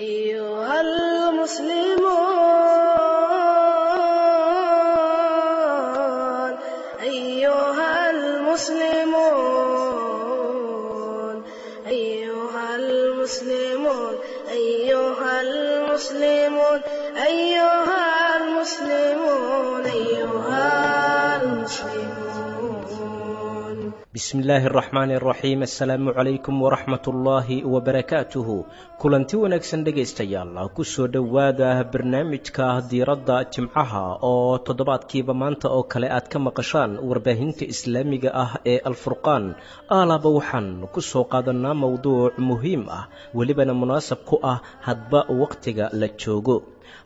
أيها المسلمون، أيها المسلمون، أيها المسلمون، أيها المسلمون، أيها المسلمون. Bismi illaahi araxmaani araxiim. Assalaamu calaykum waraxmat ullaahi wabarakaatuhu. Kulanti wanaagsan dhegaystayaal, kusoo dhowaada barnaamijka Diiradda Jimcaha oo toddobaadkiiba maanta oo kale aad ka maqashaan warbaahinta islaamiga ah ee Alfurqaan. Aalaaba waxaan ku soo qaadanaa mowduuc muhiim ah, welibana munaasab ku ah hadba wakhtiga la joogo.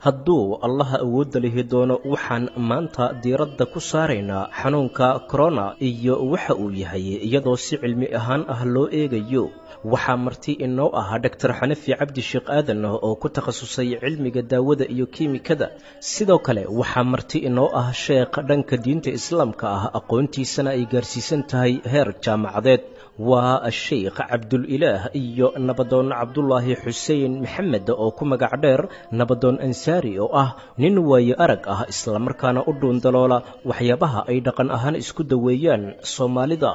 Hadduu Allaha awoodda lihi doono, waxaan maanta diiradda ku saaraynaa xanuunka corona iyo waxa uu yahay, iyadoo si cilmi ahaan ah loo eegayo. Waxaa marti inoo ah Dhaktar Xanafi Cabdi Sheekh Aadan oo ku takhasusay cilmiga daawada iyo kiimikada. Sidoo kale waxaa marti inoo ah sheekh dhanka diinta islaamka ah, aqoontiisana ay gaarsiisan tahay heer jaamacadeed, waa Sheikh Cabdulilaah, iyo Nabadoon Cabdulaahi Xuseen Maxamed oo ku magac dheer Nabadoon Ansaari, oo ah nin waayo arag ah, islamarkaana u dhuundaloola waxyaabaha ay dhaqan ahaan isku daweeyaan Soomaalida.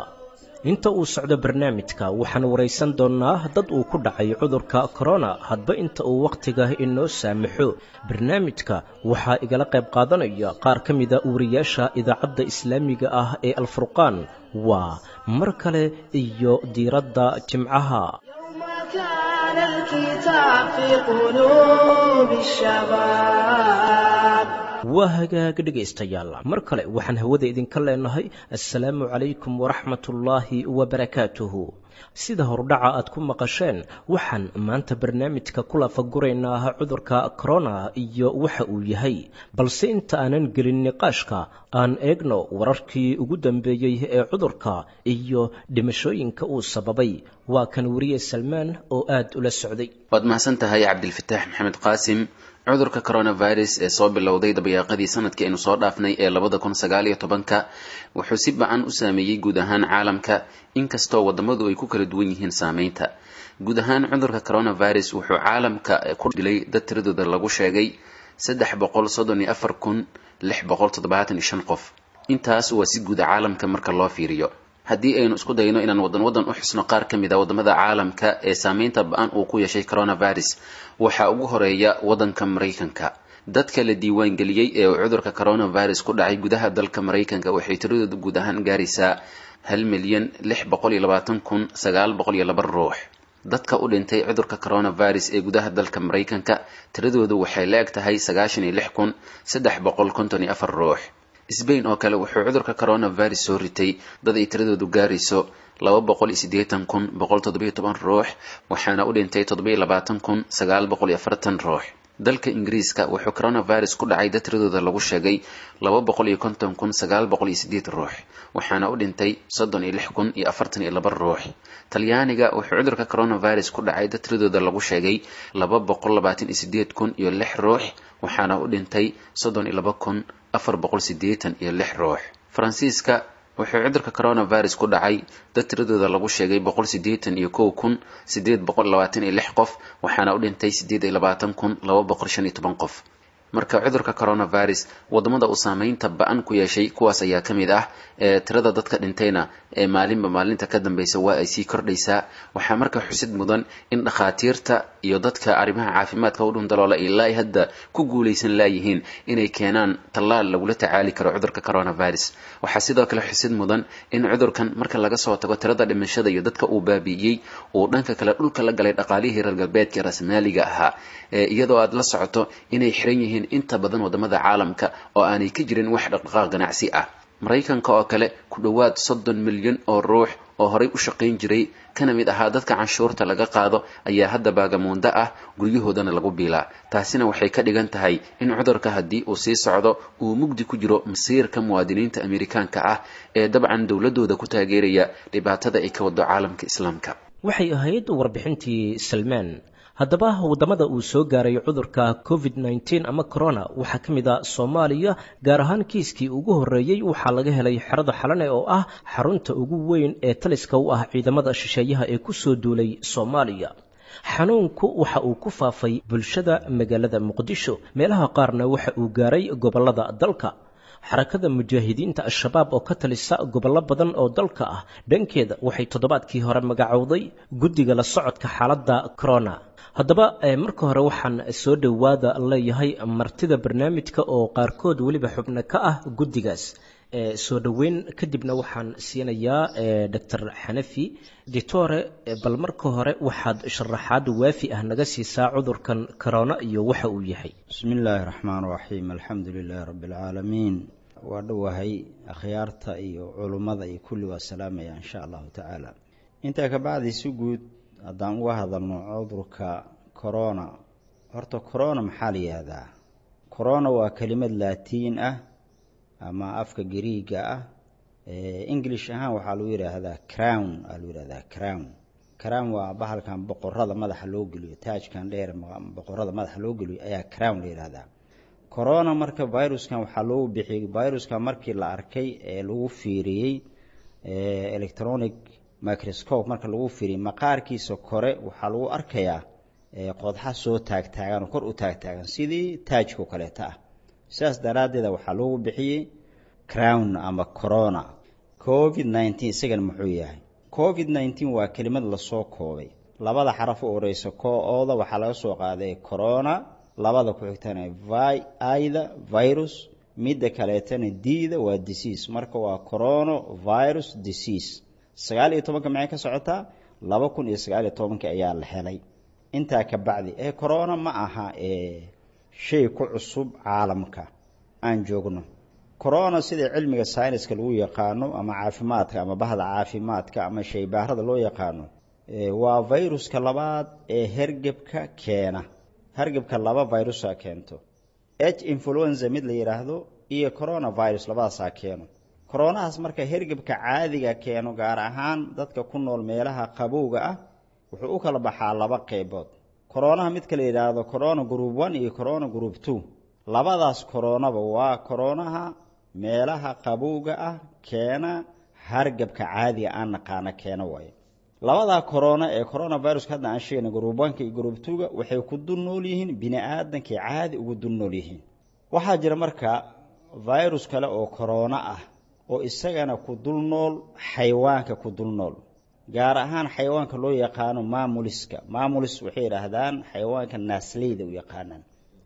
Inta uu socdo barnaamijka waxaan waraysan doonnaa dad uu ku dhacay cudurka corona, hadba inta uu wakhtiga inoo saamaxo. Barnaamijka waxaa igala qayb qaadanaya qaar ka mida wariyaasha idaacadda islaamiga ah ee Alfurqaan. Waa mar kale iyo Diiradda Jimcaha. يوم كان الكتاب في قلوب الشباب. Waa hagaag dhegaystayaal, mar kale waxaan hawada idinka leenahay assalaamu calaykum waraxmatullaahi wabarakaatuhu. Sida hordhaca aad ku maqasheen, waxaan maanta barnaamijka ku lafaguraynaa cudurka corona iyo waxa uu yahay. Balse inta aanan gelin niqaashka, aan eegno wararkii ugu dambeeyey ee cudurka iyo dhimashooyinka uu sababay. Waa kan weriye Salmaan oo aad ula socday. Waad mahadsan tahay, Cabdilfataax Maxamed Qaasim. Cudurka coronavirus ee soo bilowday dabayaaqadii sanadkii aynu soo dhaafnay ee 2019-ka wuxuu si bacan u saameeyey guud ahaan caalamka, inkastoo wadamadu ay ku kala duwan yihiin saameynta. Guud ahaan cudurka coronavirus wuxuu caalamka ku dilay dad tiradooda lagu sheegay 334,675 qof. Intaas waa si guuda caalamka marka loo fiiriyo. Haddii aynu isku dayno inaan wadan wadan u xusno qaar ka mid a wadamada caalamka ee saameynta ba-an uu ku yeeshay coronavirus, waxaa ugu horeeya wadanka Maraykanka. Dadka la diiwaan geliyey ee uu cudurka coronavirus ku dhacay gudaha dalka Maraykanka waxay tiradooda guud ahaan gaaraysaa 1,620,902 ruux. Dadka u dhintay cudurka coronavirus ee gudaha dalka Maraykanka tiradoodu waxay la eg tahay 96,354 ruux. Sbain oo kale wuxuu cudurka coronavirus soo ritay dad ay tiradoodu gaarayso 280,117 ruux, waxaana u dhintay 27,940 ruux. Dalka Ingiriiska wuxuu coronavirus ku dhacay dad tiradooda lagu sheegay 250,908 ruux, waxaana u dhintay 36,042 ruux. Talyaaniga wuxuu cudurka coronavirus ku dhacay dad tiradooda lagu sheegay 228,006 ruux, waxaana u dhintay 32,486 ruux. Faransiiska wuxuu cudurka coronavirus ku dhacay dad tiradooda lagu sheegay 181,826 qof, waxaana u dhintay 28,215 qof. Marka cudurka coronavirus wadamada uu saameynta ba-an ku yeeshay kuwaas ayaa ka mid ah. Ee tirada dadka dhintayna ee maalinba maalinta ka dambeysa waa ay sii kordhaysaa. Waxaa marka xusid mudan in dhakhaatiirta iyo dadka arrimaha caafimaadka u dhundaloola ilaa ay hadda ku guulaysan laayihiin inay keenaan tallaal lagula tacaali karo cudurka coronavirus. Waxaa sidoo kale xusid mudan in cudurkan, marka laga soo tago tirada dhimashada iyo dadka uu baabi'iyey, uu dhanka kale dhulka la galay dhaqaalihii reer galbeedka ee rasmaaliga ahaa, iyadoo aad la socoto inay xiran yihiin inta badan wadamada caalamka oo aanay ka jirin wax dhaqdhaqaaq ganacsi ah. Maraykanka oo kale, ku dhowaad 30 milyan oo ruux oo horay u shaqayn jiray kana mid ahaa dadka canshuurta laga qaado ayaa hadda baagamuundo ah, guryahoodana lagu biilaa. Taasina waxay ka dhigan tahay in cudurka haddii uu sii socdo uu mugdi ku jiro masiirka muwaadiniinta Amerikaanka ah ee dabcan dowladooda ku taageeraya dhibaatada ay ka wado caalamka islaamka. Waxay ahayd warbixintii Salmaan. Haddaba waddamada uu soo gaaray cudurka COVID-19 ama corona waxaa ka mid a Soomaaliya. Gaar ahaan kiiskii ugu horreeyey waxaa laga helay xerada Xalane oo ah xarunta ugu weyn ee taliska u ah ciidamada shisheeyaha ee ku soo duulay Soomaaliya. Xanuunku waxa uu ku faafay bulshada magaalada Muqdisho, meelaha qaarna waxa uu gaaray gobollada dalka. Xarakada Mujaahidiinta Al-Shabaab oo ka talisa gobollo badan oo dalka ah dhankeeda waxay toddobaadkii hore magacowday guddiga la socodka xaaladda corona. Haddaba marka hore waxaan soo dhowaada leeyahay martida barnaamijka oo qaarkood weliba xubno ka ah guddigaas. Soo dhoweyn kadibna waxaan siinayaa Dr. Xanafi. Ditore, bal marka hore waxaad sharaxaad waafi ah naga siisaa cudurkan corona iyo waxa uu yahay. Bismi illaahi raxmaan raxiim, alxamdu lilaahi rabbi alcaalamiin. Waa dhowahay akhyaarta iyo culummada iyo kulli waa salaamaya insha allahu tacaala. Intaa ka bacdi, si guud haddaan uga hadalno cudurka corona, horta corona maxaa la yihahdaa? Corona waa kelimad laatiin ah ama afka Gariiga ah. English ahaan waxaa lagu yidhaahdaa crown, aa lagu yihahdaa crown. Crown waa bahalkan boqorada madaxa loo geliyo, taajkan dheer boqorada madaxa loo geliyo ayaa crown la yidhahdaa. Corona marka viruskan waxaa loogu bixiyey viruskan markii la arkay ee lagu fiiriyey electronic microscope, marka lagu fiiriyey maqaarkiisa kore waxaa lagu arkayaa qodxa soo taagtaagan oo kor u taagtaagan sidii taajka oo kaleeta ah. Sidaas daraaddeeda waxaa loogu bixiyey crown ama corona. COVID-19 isagana muxuu yahay? COVID-19 waa kelimad lasoo koobay. Labada xaraf u horeysa ko-ooda waxaa laga soo qaaday corona, labada ku xigtana ida virus, midda kaleetana d-da waa disease. Marka waa corona virus disease. 19-ka maxay ka socotaa? 2019-ka ayaa la helay. Intaa ka bacdi ee corona ma aha shay ku cusub caalamka aan joogno. Corona sida cilmiga sayniska lagu yaqaano ama caafimaadka ama bahda caafimaadka ama shaybaarada loo yaqaano, waa viruska labaad ee hergebka keena. Hergebka laba virusa keento, H influenza mid la yidhaahdo iyo coronavirus, labadaasaa keeno. Coronahaas marka hergebka caadiga keeno, gaar ahaan dadka ku nool meelaha qabowga ah, wuxuu u kala baxaa laba qeybood. Coronaha midka la yidhaahdo corona group 1 iyo corona group 2, labadaas coronaba waa coronaha meelaha qabowga ah keena, hargabka caadiga aan naqaano keena waayo. Labadaa corona ee coronaviruska hadda aan sheegnay, group 1-ka iyo group 2-ga, waxay ku dul nool yihiin bini aadankay caadi ugu dul nool yihiin. Waxaa jira marka virus kale oo corona ah oo isagana ku dul nool xayawaanka ku dul nool, gaar ahaan xayawaanka loo yaqaano mammals-ka. Mammals waxay yidhaahdaan xayawaanka naasleyda u yaqaanaan,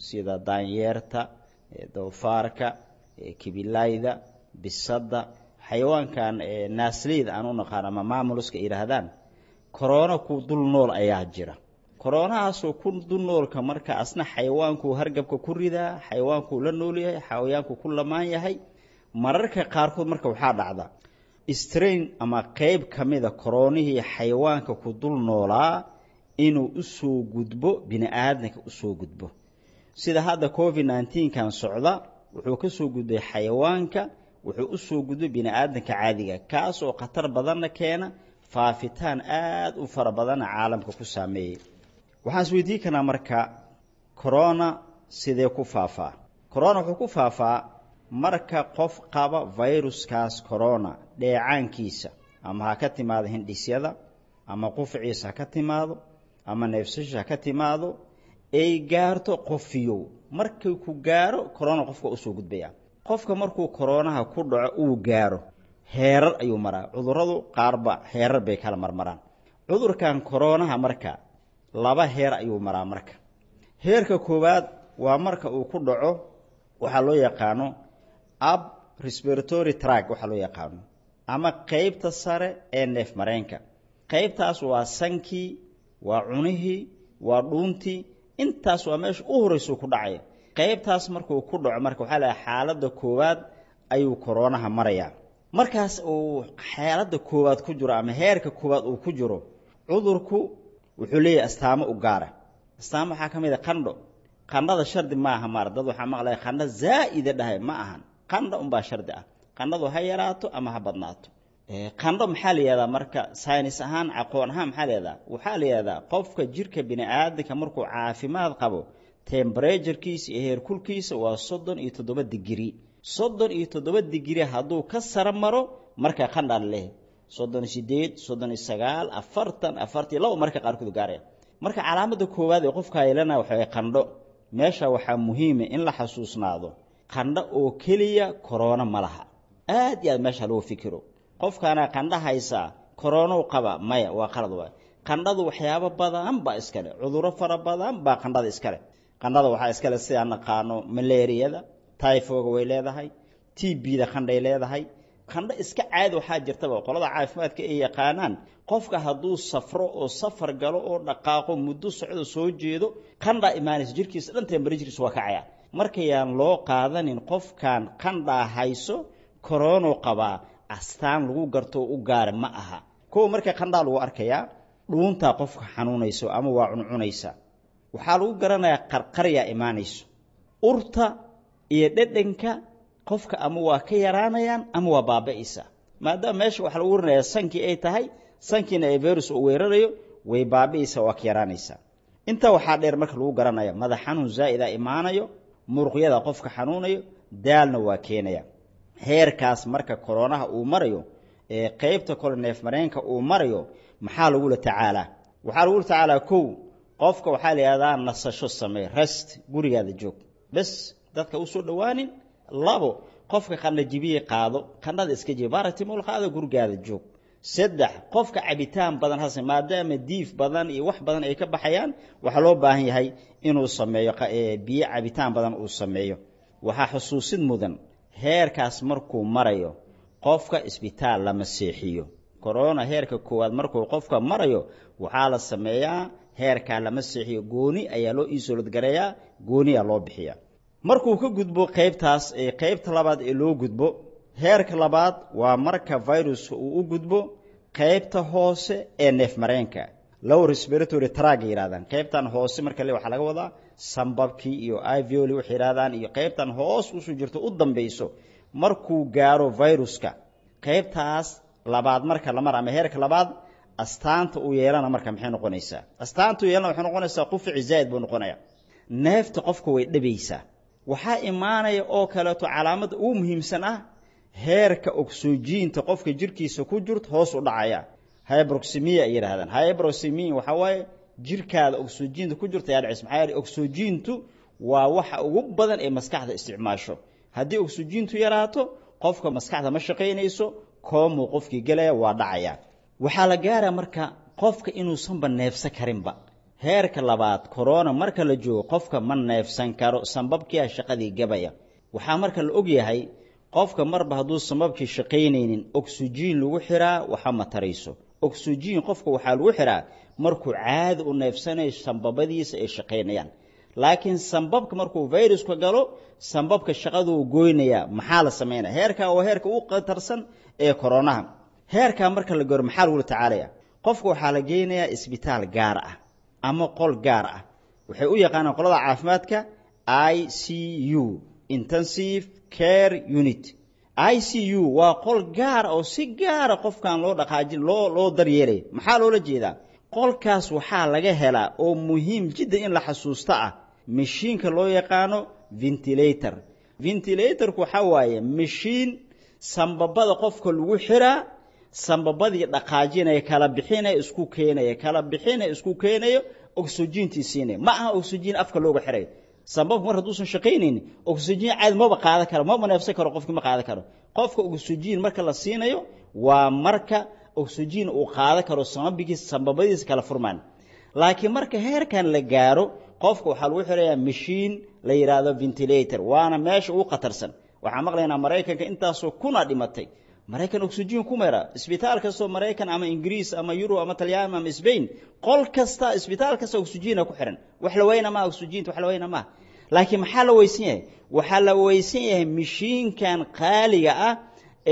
sida daanyeerta, doofaarka, kibilayda, bisadda. Xayawaankan naasleyda aan u naqaano ama mammals-ka yidhaahdaan, corona ku dul nool ayaa jira. Coronahaasoo ku dul noolka marka asna xayawaankuu hargabka ku ridaa, xayawaankuu la nool yahay, xayawaankuu ku lamaan yahay. Mararka qaarkood marka waxaa dhacda strain ama qeyb ka mida koronihii xayawaanka ku dul noolaa inuu usoo gudbo bini aadamka, usoo gudbo. Sida hadda COVID-19 kan socda, wuxuu ka soo gudbay xayawaanka, wuxuu usoo gudbay bini aadamka caadiga, kaas oo khatar badanna keena, faafitaan aada u fara badanna caalamka ku saameeyey. Waxaan isweydiin karnaa marka, corona sidee ku faafaa? Corona wuxuu ku faafaa marka qof qaba viruskaas corona dheecaankiisa, ama ha ka timaado hindhisyada, ama qufaciisa ha ka timaado, ama neefsasha ha ka timaado, ay gaarto qofiyow. Markii ku gaaro corona, qofka usoo gudbaya. Qofka markuu coronaha ku dhaco uu gaaro, heerar ayuu maraa. Cuduradu qaarba heerar bay kala marmaraan. Cudurkan coronaha marka laba heer ayuu maraa. Marka heerka koowaad waa marka uu ku dhaco waxaa loo yaqaano upper respiratory tract, waxaa loo yaqaano ama qeybta sare ee neef mareenka. Qeybtaas waa sankii, waa cunihii, waa dhuuntii. Intaas waa meesha u horreysuu ku dhacaya. Qeybtaas markuu ku dhaco marka waxaa laha xaaladda koowaad ayuu koroonaha marayaa. Markaas uu xaaladda koowaad ku jiro ama heerka koowaad uu ku jiro, cudurku wuxuu leeyahay astaamo u gaara. Astaamo waxaa ka mid a qandho. Qandhada shardi maaha maar dad waxaa maqlaya qandho zaa'ida dhahay. Ma ahan, qandho unbaa shardi ah. Qandhadu ha yaraato ama ha badnaato. Qandho maxaa la yihahdaa marka saynis ahaan, aqoon ahaan maxaa la yihahdaa? Waxaa la yihahdaa qofka jirka bini aadamka markuu caafimaad qabo, temperaturekiisa iyo heerkulkiisa waa 37 digrii. 37 digrii hadduu ka sara maro marka qandhaa leh, 38, 39, 40, 42 marka qaarkood gaaraya. Marka calaamadda koowaad ee qofka yeelana waxa qandho. Meesha waxaa muhiima in la xasuusnaado qandho oo keliya korona ma laha. Aad iyo aad meesha loo fikiro, qofkaana qandho haysaa korona qaba, maya, waa qalad waay. Qandhadu waxyaabo badan baa iskale, cudurro fara badan baa qandhada iskale. Qandhada waxaa iskale sidaan naqaano malaariyada, typhoga way leedahay, TB-da qandhay leedahay. Qandho iska caadi waxaa jirtaba qolada caafimaadka ay yaqaanaan, qofka hadduu safro oo safar galo oo dhaqaaqo muddo socdo soo jeedo, qandhaa imaanaysa, jirkiisa dhan temperaturekiisa waa kacaya. Markayaan loo qaadanin qofkan qandhaa hayso korono qabaa, astaan lagu garto u gaara ma aha. Kow, marka qandhaa lagu arkayaa dhuuntaa qofka xanuunayso ama waa cuncunaysa, waxaa lagu garanayaa qarqaryaa imaanayso, urta iyo dhedhanka qofka ama waa ka yaraanayaan ama waa baaba'aysa. Maadaama meesha waxaa lagu warinayaa sankii ay tahay, sankiina ee virus uu weerarayo, way baabi'aysaa, waa ka yaraanaysaa. Intaa waxaa dheer marka lagu garanaya madax xanuun zaa'ida imaanayo, muruqyada qofka xanuunayo, daalna waa keenaya. Heerkaas marka koronaha uu marayo ee qaybta kole neefmareenka uu marayo, maxaa lagula tacaalaa? Waxaa lagula tacaalaa kow, qofka waxaa la yidhahdaa nasasho samee, rest, gurigaada joog bes, dadka usoo dhowaanin. Labo, qofka qandha jibiye qaado, qandhada iska jibi, baratimol qaado, gurigaada joog. Saddex, qofka cabitaan badan hase, maadaama diif badan iyo wax badan ay ka baxayaan, waxaa loo baahan yahay inuu sameeyo biyo cabitaan badan uu sameeyo. Waxaa xusuusid mudan heerkaas markuu marayo qofka isbitaal lama seexiyo. Corona heerka koowaad markuu qofka marayo waxaa la sameeyaa heerkaa lama seexiyo, gooni ayaa loo isolad gareeyaa, gooniyaa loo bixiyaa. Markuu ka gudbo qaybtaas ee qaybta labaad ee loo gudbo heerka labaad, waa marka viruska uu u gudbo qaybta hoose ee neefmareenka, lower respiratory tract yidhahdaan. Qaybtan hoose marka le waxaa laga wadaa sambabkii iyo alveoli waxay yidhahdaan, iyo qaybtan hoos usoo jirto u dambayso. Markuu gaaro viruska qaybtaas labaad marka la mar ama heerka labaad, astaanta uu yeelana marka maxay noqonaysaa? Astaanta uu yeelana waxay noqonaysaa qufici zaa'id buu noqonayaa, neefta qofka way dhabaysaa. Waxaa imaanaya oo kaleeto calaamadda ugu muhiimsan ah heerka ogsojiinta qofka jirkiisa ku jirto hoos u dhacaya, hyperoxemia ay yidhahdaan. Hyperoxemia waxaa waaye jirkaada ogsojiinta ku jirta ayaa dhacaysa. Maxaa yeelay ogsojiintu waa waxa ugu badan ee maskaxda isticmaasho. Haddii ogsojiintu yaraato, qofka maskaxda ma shaqaynayso, koomuu qofkii gelaya, waa dhacaya. Waxaa la gaaraa marka qofka inuusanba neefsan karinba. Heerka labaad corona marka la joogo qofka ma neefsan karo, sambabkiia shaqadii gabaya. Waxaa marka la og yahay qofka marba hadduu sambabkii shaqaynaynin, oksijiin lagu xiraa waxa ma tarayso. Oksijiin qofka waxaa lagu xiraa markuu caadi u neefsanayo, sambabadiisa ay shaqaynayaan. Laakiin sambabka markuu viruska galo, sambabka shaqaduu goynayaa. Maxaa la samaynaya? Heerkaa waa heerka u khatarsan ee koronaha. Heerkaa marka la gaaro maxaa lagula tacaalaya? Qofka waxaa la geynayaa isbitaal gaar ah ama qol gaar ah, waxay u yaqaanaan qolada caafimaadka ICU, intensive care unit. ICU waa qol gaara oo si gaara qofkan loo dhaqaajin, loo daryeelay. Maxaa loola jeedaa? Qolkaas waxaa laga helaa oo muhiim jiddan in la xasuusto ah mashiinka loo yaqaano ventilator. Ventilatorku waxaa waaye mashiin sambabada qofka lagu xiraa, sambabadii dhaqaajinaya, kala bixinaya, isku keenaya, kala bixinaya, isku keenayo, oksijiintii siinaya. Ma aha oksijiin afka looga xirayo. Sambabku mar hadduusan shaqaynaynin, oksijiin caadi maba qaadan karo, maba neefsan karo, qofkii ma qaadan karo. Qofka oksijiin marka la siinayo waa marka oksijiin uu qaadan karo, sambabigiisa sambabadiisa kala furmaan. Laakiin marka heerkan la gaaro qofka waxaa lagu xirayaa mashiin la yidhaahdo ventilator, waana meesha ugu khatarsan. Waxaan maqlaynaa Maraykanka intaasoo kuna dhimatay. Maraykan oksijiin ku meera isbitaal kastoo Maraykan ama Ingiriis ama Yurub ama Talyaani ama Spain, qol kasta, isbitaal kasta oksijiina ku xiran. Wax la weyna maaha oksijiinta, wax la weyna maaha. Laakiin maxaa la weysan yahay? Waxaa la weysan yahay mashiinkan qaaliga ah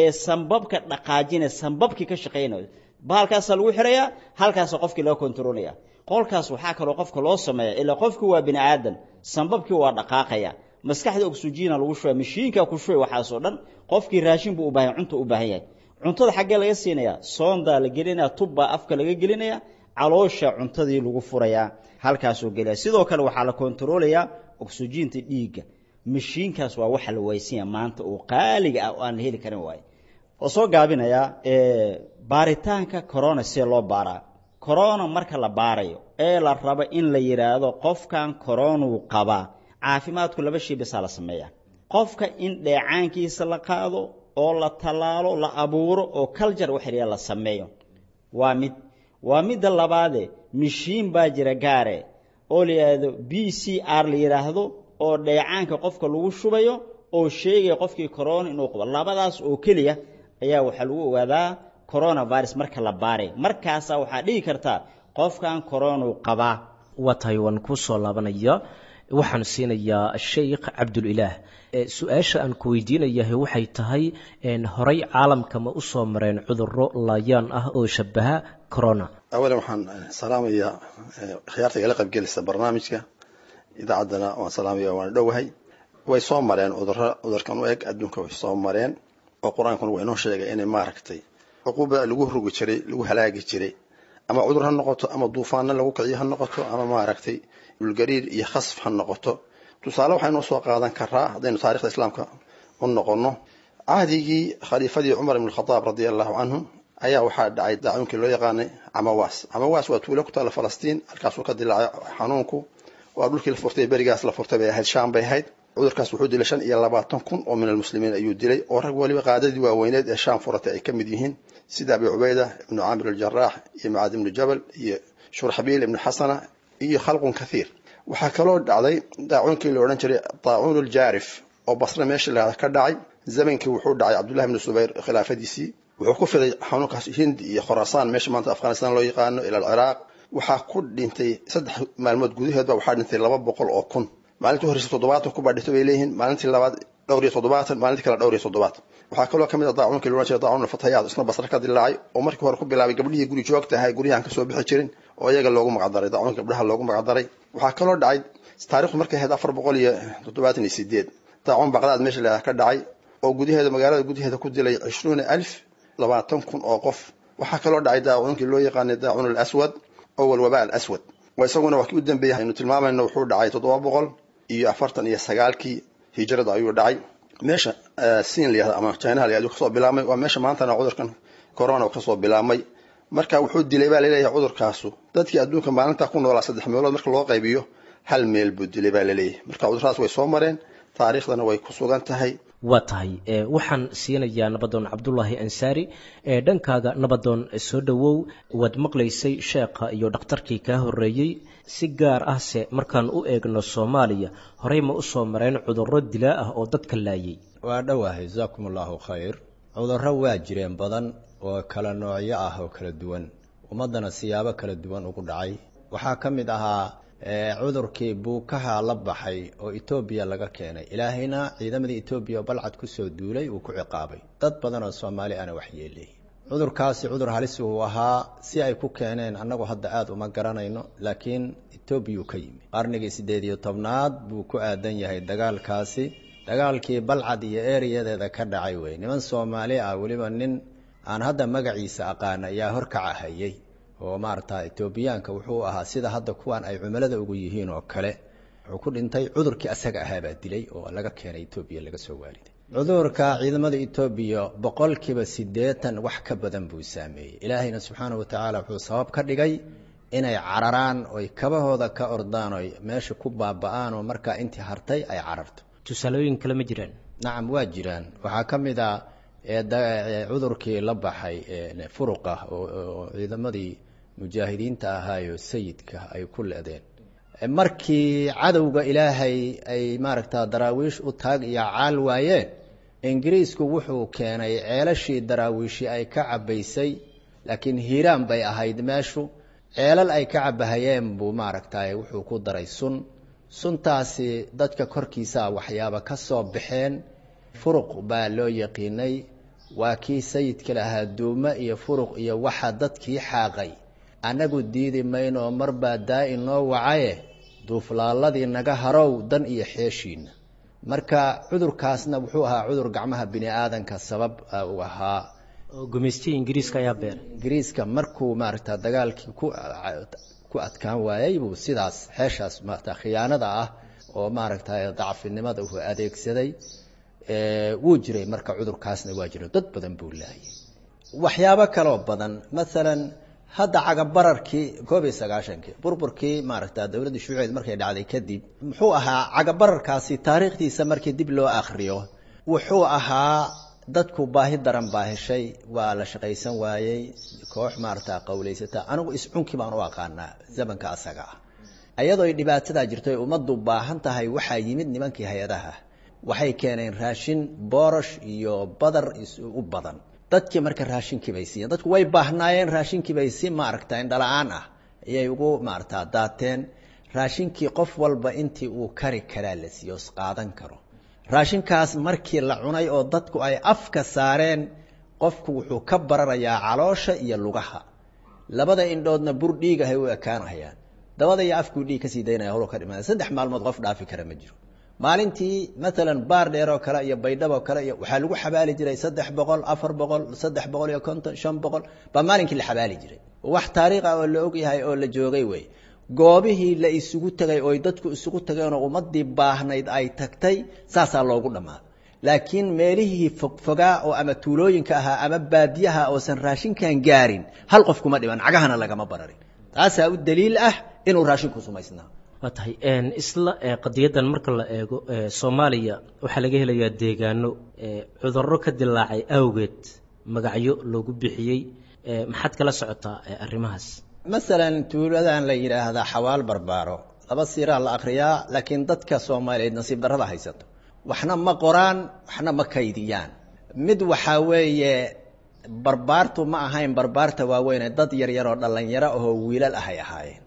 ee sambabka dhaqaajinaya, sambabkii ka shaqaynayo. Bahalkaasaa lagu xirayaa, halkaasa qofkii loo kontroolaya. Qolkaas waxaa kaloo qofka loo sameeya, ilaa qofkii waa bini aadan, sambabkii waa dhaqaaqaya, maskaxda oksijiina lagu shubay, mashiinka ku shubay, waxaasoo dhan. Qofkii raashin buu u baahan, cunto u baahan yahay. Cuntada xaggee laga siinayaa? Soondaa la gelinaya, tubbaa afka laga gelinaya, caloosha cuntadii lagu furayaa, halkaasuu gelaya. Sidoo kale waxaa la kontaroolayaa oksijiinta dhiigga. Mashiinkaas waa waxa la waysanya maanta oo qaaliga ah oo aan la heli karin waaye. Oo soo gaabinayaa, baaritaanka corona see loo baaraa? Corona marka la baarayo Ee la rabo in la yidhaahdo qofkan koronuu qabaa, caafimaadku laba shay bisaa la sameeyaa: qofka in dheecaankiisa la qaado oo la tallaalo, la abuuro oo culture waxriya la sameeyo, waa mid. Waa midda labaade, mishiin baa jira gaare oo la yidhaahdo PCR la yidhaahdo, oo dheecaanka qofka lagu shubayo oo sheegaya qofkii corona inuu qabo. Labadaas oo keliya ayaa waxaa lagu ogaadaa coronavirus marka la baaray. Markaasaa waxaa dhigi kartaa qofkan coronuu qabaa. Waa tahay, waan kuu soo laabanaya. Waxaan siinayaa Sheikh Cabdulilaah. Su-aasha aan ku weydiinayahay waxay tahay, horey caalamka ma u soo mareen cudurro laayaan ah oo shabaha corona? Awalan waxaan salaamayaa khiyaarta igala qaybgelisa barnaamijka, idaacaddana waan salaamaya, waan dhowahay. Way soo mareen cudurro cudurkan u eg adduunka, way soo mareen, oo Qur-aankuna waa inoo sheegay inay maaragtay cuquubada lagu rogi jiray, lagu halaagi jiray, ama cudur ha noqoto, ama duufaano lagu kiciyo ha noqoto, ama maaragtay dhulgariir iyo khasf ha noqoto. Tusaale waxaynu soo qaadan karaa, haddaynu taarikhda islaamka u noqono, cahdigii khaliifadii Cumar ibn Khadaab radia Allahu canhu ayaa waxaa dhacay daacuunkii loo yaqaanay Camawaas. Camawaas waa tuulo ku taalla Falastiin, halkaasuu ka dilaacay xanuunku. Waa dhulkii la furtay, berigaas la furtay bay ahayd, Shaam bay ahayd. Cudurkaas wuxuu dilay 25,000 oo min almuslimiin ayuu dilay, oo rag waliba qaadadii waaweyneed ee Shaam furatay ay ka mid yihiin, sida Abi Cubayda ibnu Caamir aljaraax iyo Mucaad ibnu Jabal iyo Shurxabiil ibnu Xasana iyo khalqun kathiir. Waxaa kaloo dhacday daacuunkii la odhan jiray daacuun aljaarif oo Basre meesha lahada ka dhacay. Zamankii wuxuu dhacay Cabdullahi ibnu Subayr khilaafadiisii. Wuxuu ku fiday xanuunkaas Hindi iyo Khuraasaan, meesha maanta Afghanistan loo yaqaano, ila Alciraaq. Waxaa ku dhintay 3 maalmood gudaheedba waxaa dhintay 200,000. Maalintii horeysa 70 kubaa dhintay bay leeyihiin, maalintii labaad dhowr iyo 70, maalintii kale dhowr iyo 70. Waxaa kaloo kamid ah daacuunkii loo jiray daacuun alfatayaad, isna Basre ka dilaacay, oo markii hore ku bilaabay gabdhihii guri joogta ahay, guryahan kasoo bixi jirin, oo iyaga loogu magacdaray daacuunka gabdhaha loogu magacdaray. Waxaa kaloo dhacay taarikhdu markay ahayd 478 daacuun Baqdaad meesha la ka dhacay, oo gudaheeda, magaalada gudaheeda ku dilay 20,000, 20,000 oo qof. Waxaa kaloo dhacay daacuunkii loo yaqaanay daacuun alaswad oo walwabaa alaswad, oo isaguna waa kii u dambeeyay aynu tilmaamayno. Wuxuu dhacay 749kii hijrada ayuu dhacay, meesha Siin la yahdo ama Chinaha la yahdo kasoo bilaabmay. Waa meesha maantana cudurkan corona kasoo bilaabmay. Marka wuxuu dilay baa laleeyahay cudurkaasu dadkii adduunka maalinta ku noolaa saddex meelood marka loo qaybiyo hal meel buu dilay baa laleeyahay. Marka cuduradaas way soo mareen, taariikhdana way ku sugan tahay. Waa tahay, waxaan siinayaa Nabadoon Cabdulaahi Ansaari. Dhankaaga Nabadoon, soo dhowow. Waad maqlaysay sheekha iyo dhakhtarkii kaa horreeyey. Si gaar ah se markaan u eegno Soomaaliya, horey ma u soo mareen cudurro dilaa ah oo dadka laayay? Waa dhowahay, jasaakum Allahu khayr. Cudurro waa jireen badan oo kala noocyo ah oo kala duwan, ummaddana siyaabo kala duwan ugu dhacay. Waxaa ka mid ahaa cudurkii buukaha la baxay oo Etoobiya laga keenay. Ilaahayna ciidamadii Etoobiya oo Balcad kusoo duulay uu ku ciqaabay, dad badan oo Soomaali ana wax yeelay. Cudurkaasi cudur halis uu ahaa. Si ay ku keeneen annagu hadda aada uma garanayno, laakiin Etoobiyuu ka yimi. Qarnigii 18aad buu ku aadan yahay dagaalkaasi, dagaalkii Balcad iyo ereyadeeda ka dhacay wey. Niman Soomaali ah, weliba nin aan hadda magaciisa aqaan ayaa horkaca hayay, oo maarata Etoobiyaanka wuxuu ahaa sida hadda kuwan ay cumilada ugu yihiin oo kale. Wuxuu ku dhintay cudurkii asaga ahaabaa dilay oo laga keenay Etoobiya, laga soo waariday. Cudurka ciidamada Etoobiya 80% wax ka badan buu saameeyey. Ilaahayna subxaana wa tacaala wuxuu sabab ka dhigay inay cararaan oy kabahooda ka ordaan oy meesha ku baaba'aan, oo markaa intii hartay ay cararto. Tusaalooyin kale ma jiraan? Nacam, waa jiraan. Waxaa ka mid a cudurkii la baxay furuqa oo ciidamadii mujaahidiinta ahaayo sayidka ay ku le'deen markii cadowga Ilaahay ay maaragta Daraawiish u taag iyo caal waayeen. Ingiriisku wuxuu keenay ceelashii Daraawiishi ay ka cabbaysay, laakiin Hiiraan bay ahayd meeshu, ceelal ay ka cabahayeen buu maaragtay wuxuu ku daray sun. Suntaasi dadka korkiisa waxyaaba ka soo baxeen, furuq baa loo yaqiinay. Waa kii sayidka lahaa: "Duumo iyo furuq iyo waxa dadkii xaaqay, annagu diidi maynoo marbaa daa-i noo wacaye, duuflaaladii naga harow dan iyo xeeshiina." Marka cudurkaasna wuxuu ahaa cudur gacmaha bini aadanka sabab u ahaa. Gumaystihii Ingiriiska ayaa beeray. Ingiriiska markuu maaragta dagaalkii ku adkaan waayey buu sidaas xeeshaas maarata khiyaanada ah oo maaragta dacfinimada uu adeegsaday. Wuu jiray marka cudurkaasna waa jiro, dad badan buu laayay. Waxyaabo kaloo badan, maalan Hadda cagabararkii 91-kii burburkii maaragta dowladda shuuciyeed markay dhacday kadib, muxuu ahaa cagabararkaasi? Taariikhdiisa markii dib loo akhriyo, wuxuu ahaa dadku baahi daran baa heshay, waa la shaqaysan waayey, koox maaragta qawlaysata. Anigu iscunkii baan u aqaanaa zamanka asaga ah. Ayadoo ay dhibaatadaa jirto ay ummaddu baahan tahay, waxaa yimid nimankii hay-adaha, waxay keeneen raashin, boorosh iyo badar u badan. Dadkii marka raashinkii bay siiyeen, dadku way baahnaayeen, raashinkii bay si maaragta indhala-aan ah ayay ugu maaragta daateen. Raashinkii qof walba intii uu kari karaa la siiyo, qaadan karo. Raashinkaas markii la cunay oo dadku ay afka saareen, qofku wuxuu ka bararayaa caloosha iyo lugaha, labada indhoodna bur dhiigahay u ekaanahayaan, dabada iyo afkuu dhiig kasii daynaya, holo ka dhimanaya. 3 maalmood qof dhaafi kara ma jiro. Maalintii maalan Baar Dheer oo kale iyo Baydhab oo kale iyo waxaa lagu xabaali jiray 300, 400, 350, 500 baa maalinkii la xabaali jiray. Wax taariikh ah oo la og yahay oo la joogay wey. Goobihii la isugu tegay ooy dadku isugu tageen oo ummadii baahnayd ay tagtay, saasaa loogu dhammaa. Laakiin meelihii fogfogaa oo ama tuulooyinka ahaa ama baadiyaha oosan raashinkan gaarin, hal qof kuma dhiman, cagahana lagama bararin. Taasaa u daliil ah inuu raashinku sumaysnaa. Waa tahay. Isla qadiyadan marka la eego, Soomaaliya waxaa laga helayaa deegaano cudurro ka dilaacay awgeed magacyo loogu bixiyey. Maxaad kala socotaa arrimahaas? Masalan tuuladan la yidhaahdaa Xawaal Barbaaro, laba siiraa la akriyaa, laakiin dadka Soomaaliyeed nasiib darrada haysato, waxna ma qoraan, waxna ma kaydiyaan. Mid waxaa weeye, barbaartu ma ahayn barbaarta waaweyne, dad yaryar oo dhallinyaro ahoo wiilal ahay ahaayeen,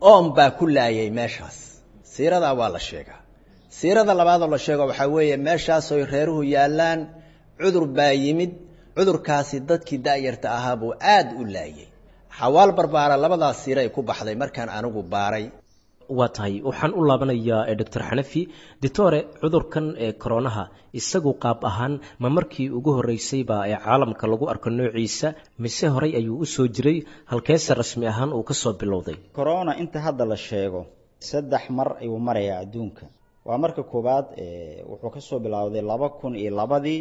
oon baa ku laayay meeshaas. Siiradaa waa la sheegaa. Siirada labaadoo la sheego waxaa weeye, meeshaasoy reeruhu yaallaan cudur baa yimid, cudurkaasi dadkii da'yarta ahaa buu aad u laayay. Xawaal Barbaara labadaas siiray ku baxday markaan anigu baaray. Waa tahay. Waxaan u laabanayaa Doctor Xanafi. Ditore, cudurkan ee koronaha isagu qaab ahaan ma markii ugu horreysay baa ee caalamka lagu arko noociisa, mise horey ayuu u soo jiray? Halkeese rasmi ahaan uu ka soo bilowday corona? Inta hadda la sheego 3 mar ayuu marayaa adduunka. Waa marka koowaad, wuxuu ka soo bilowday 2002-dii,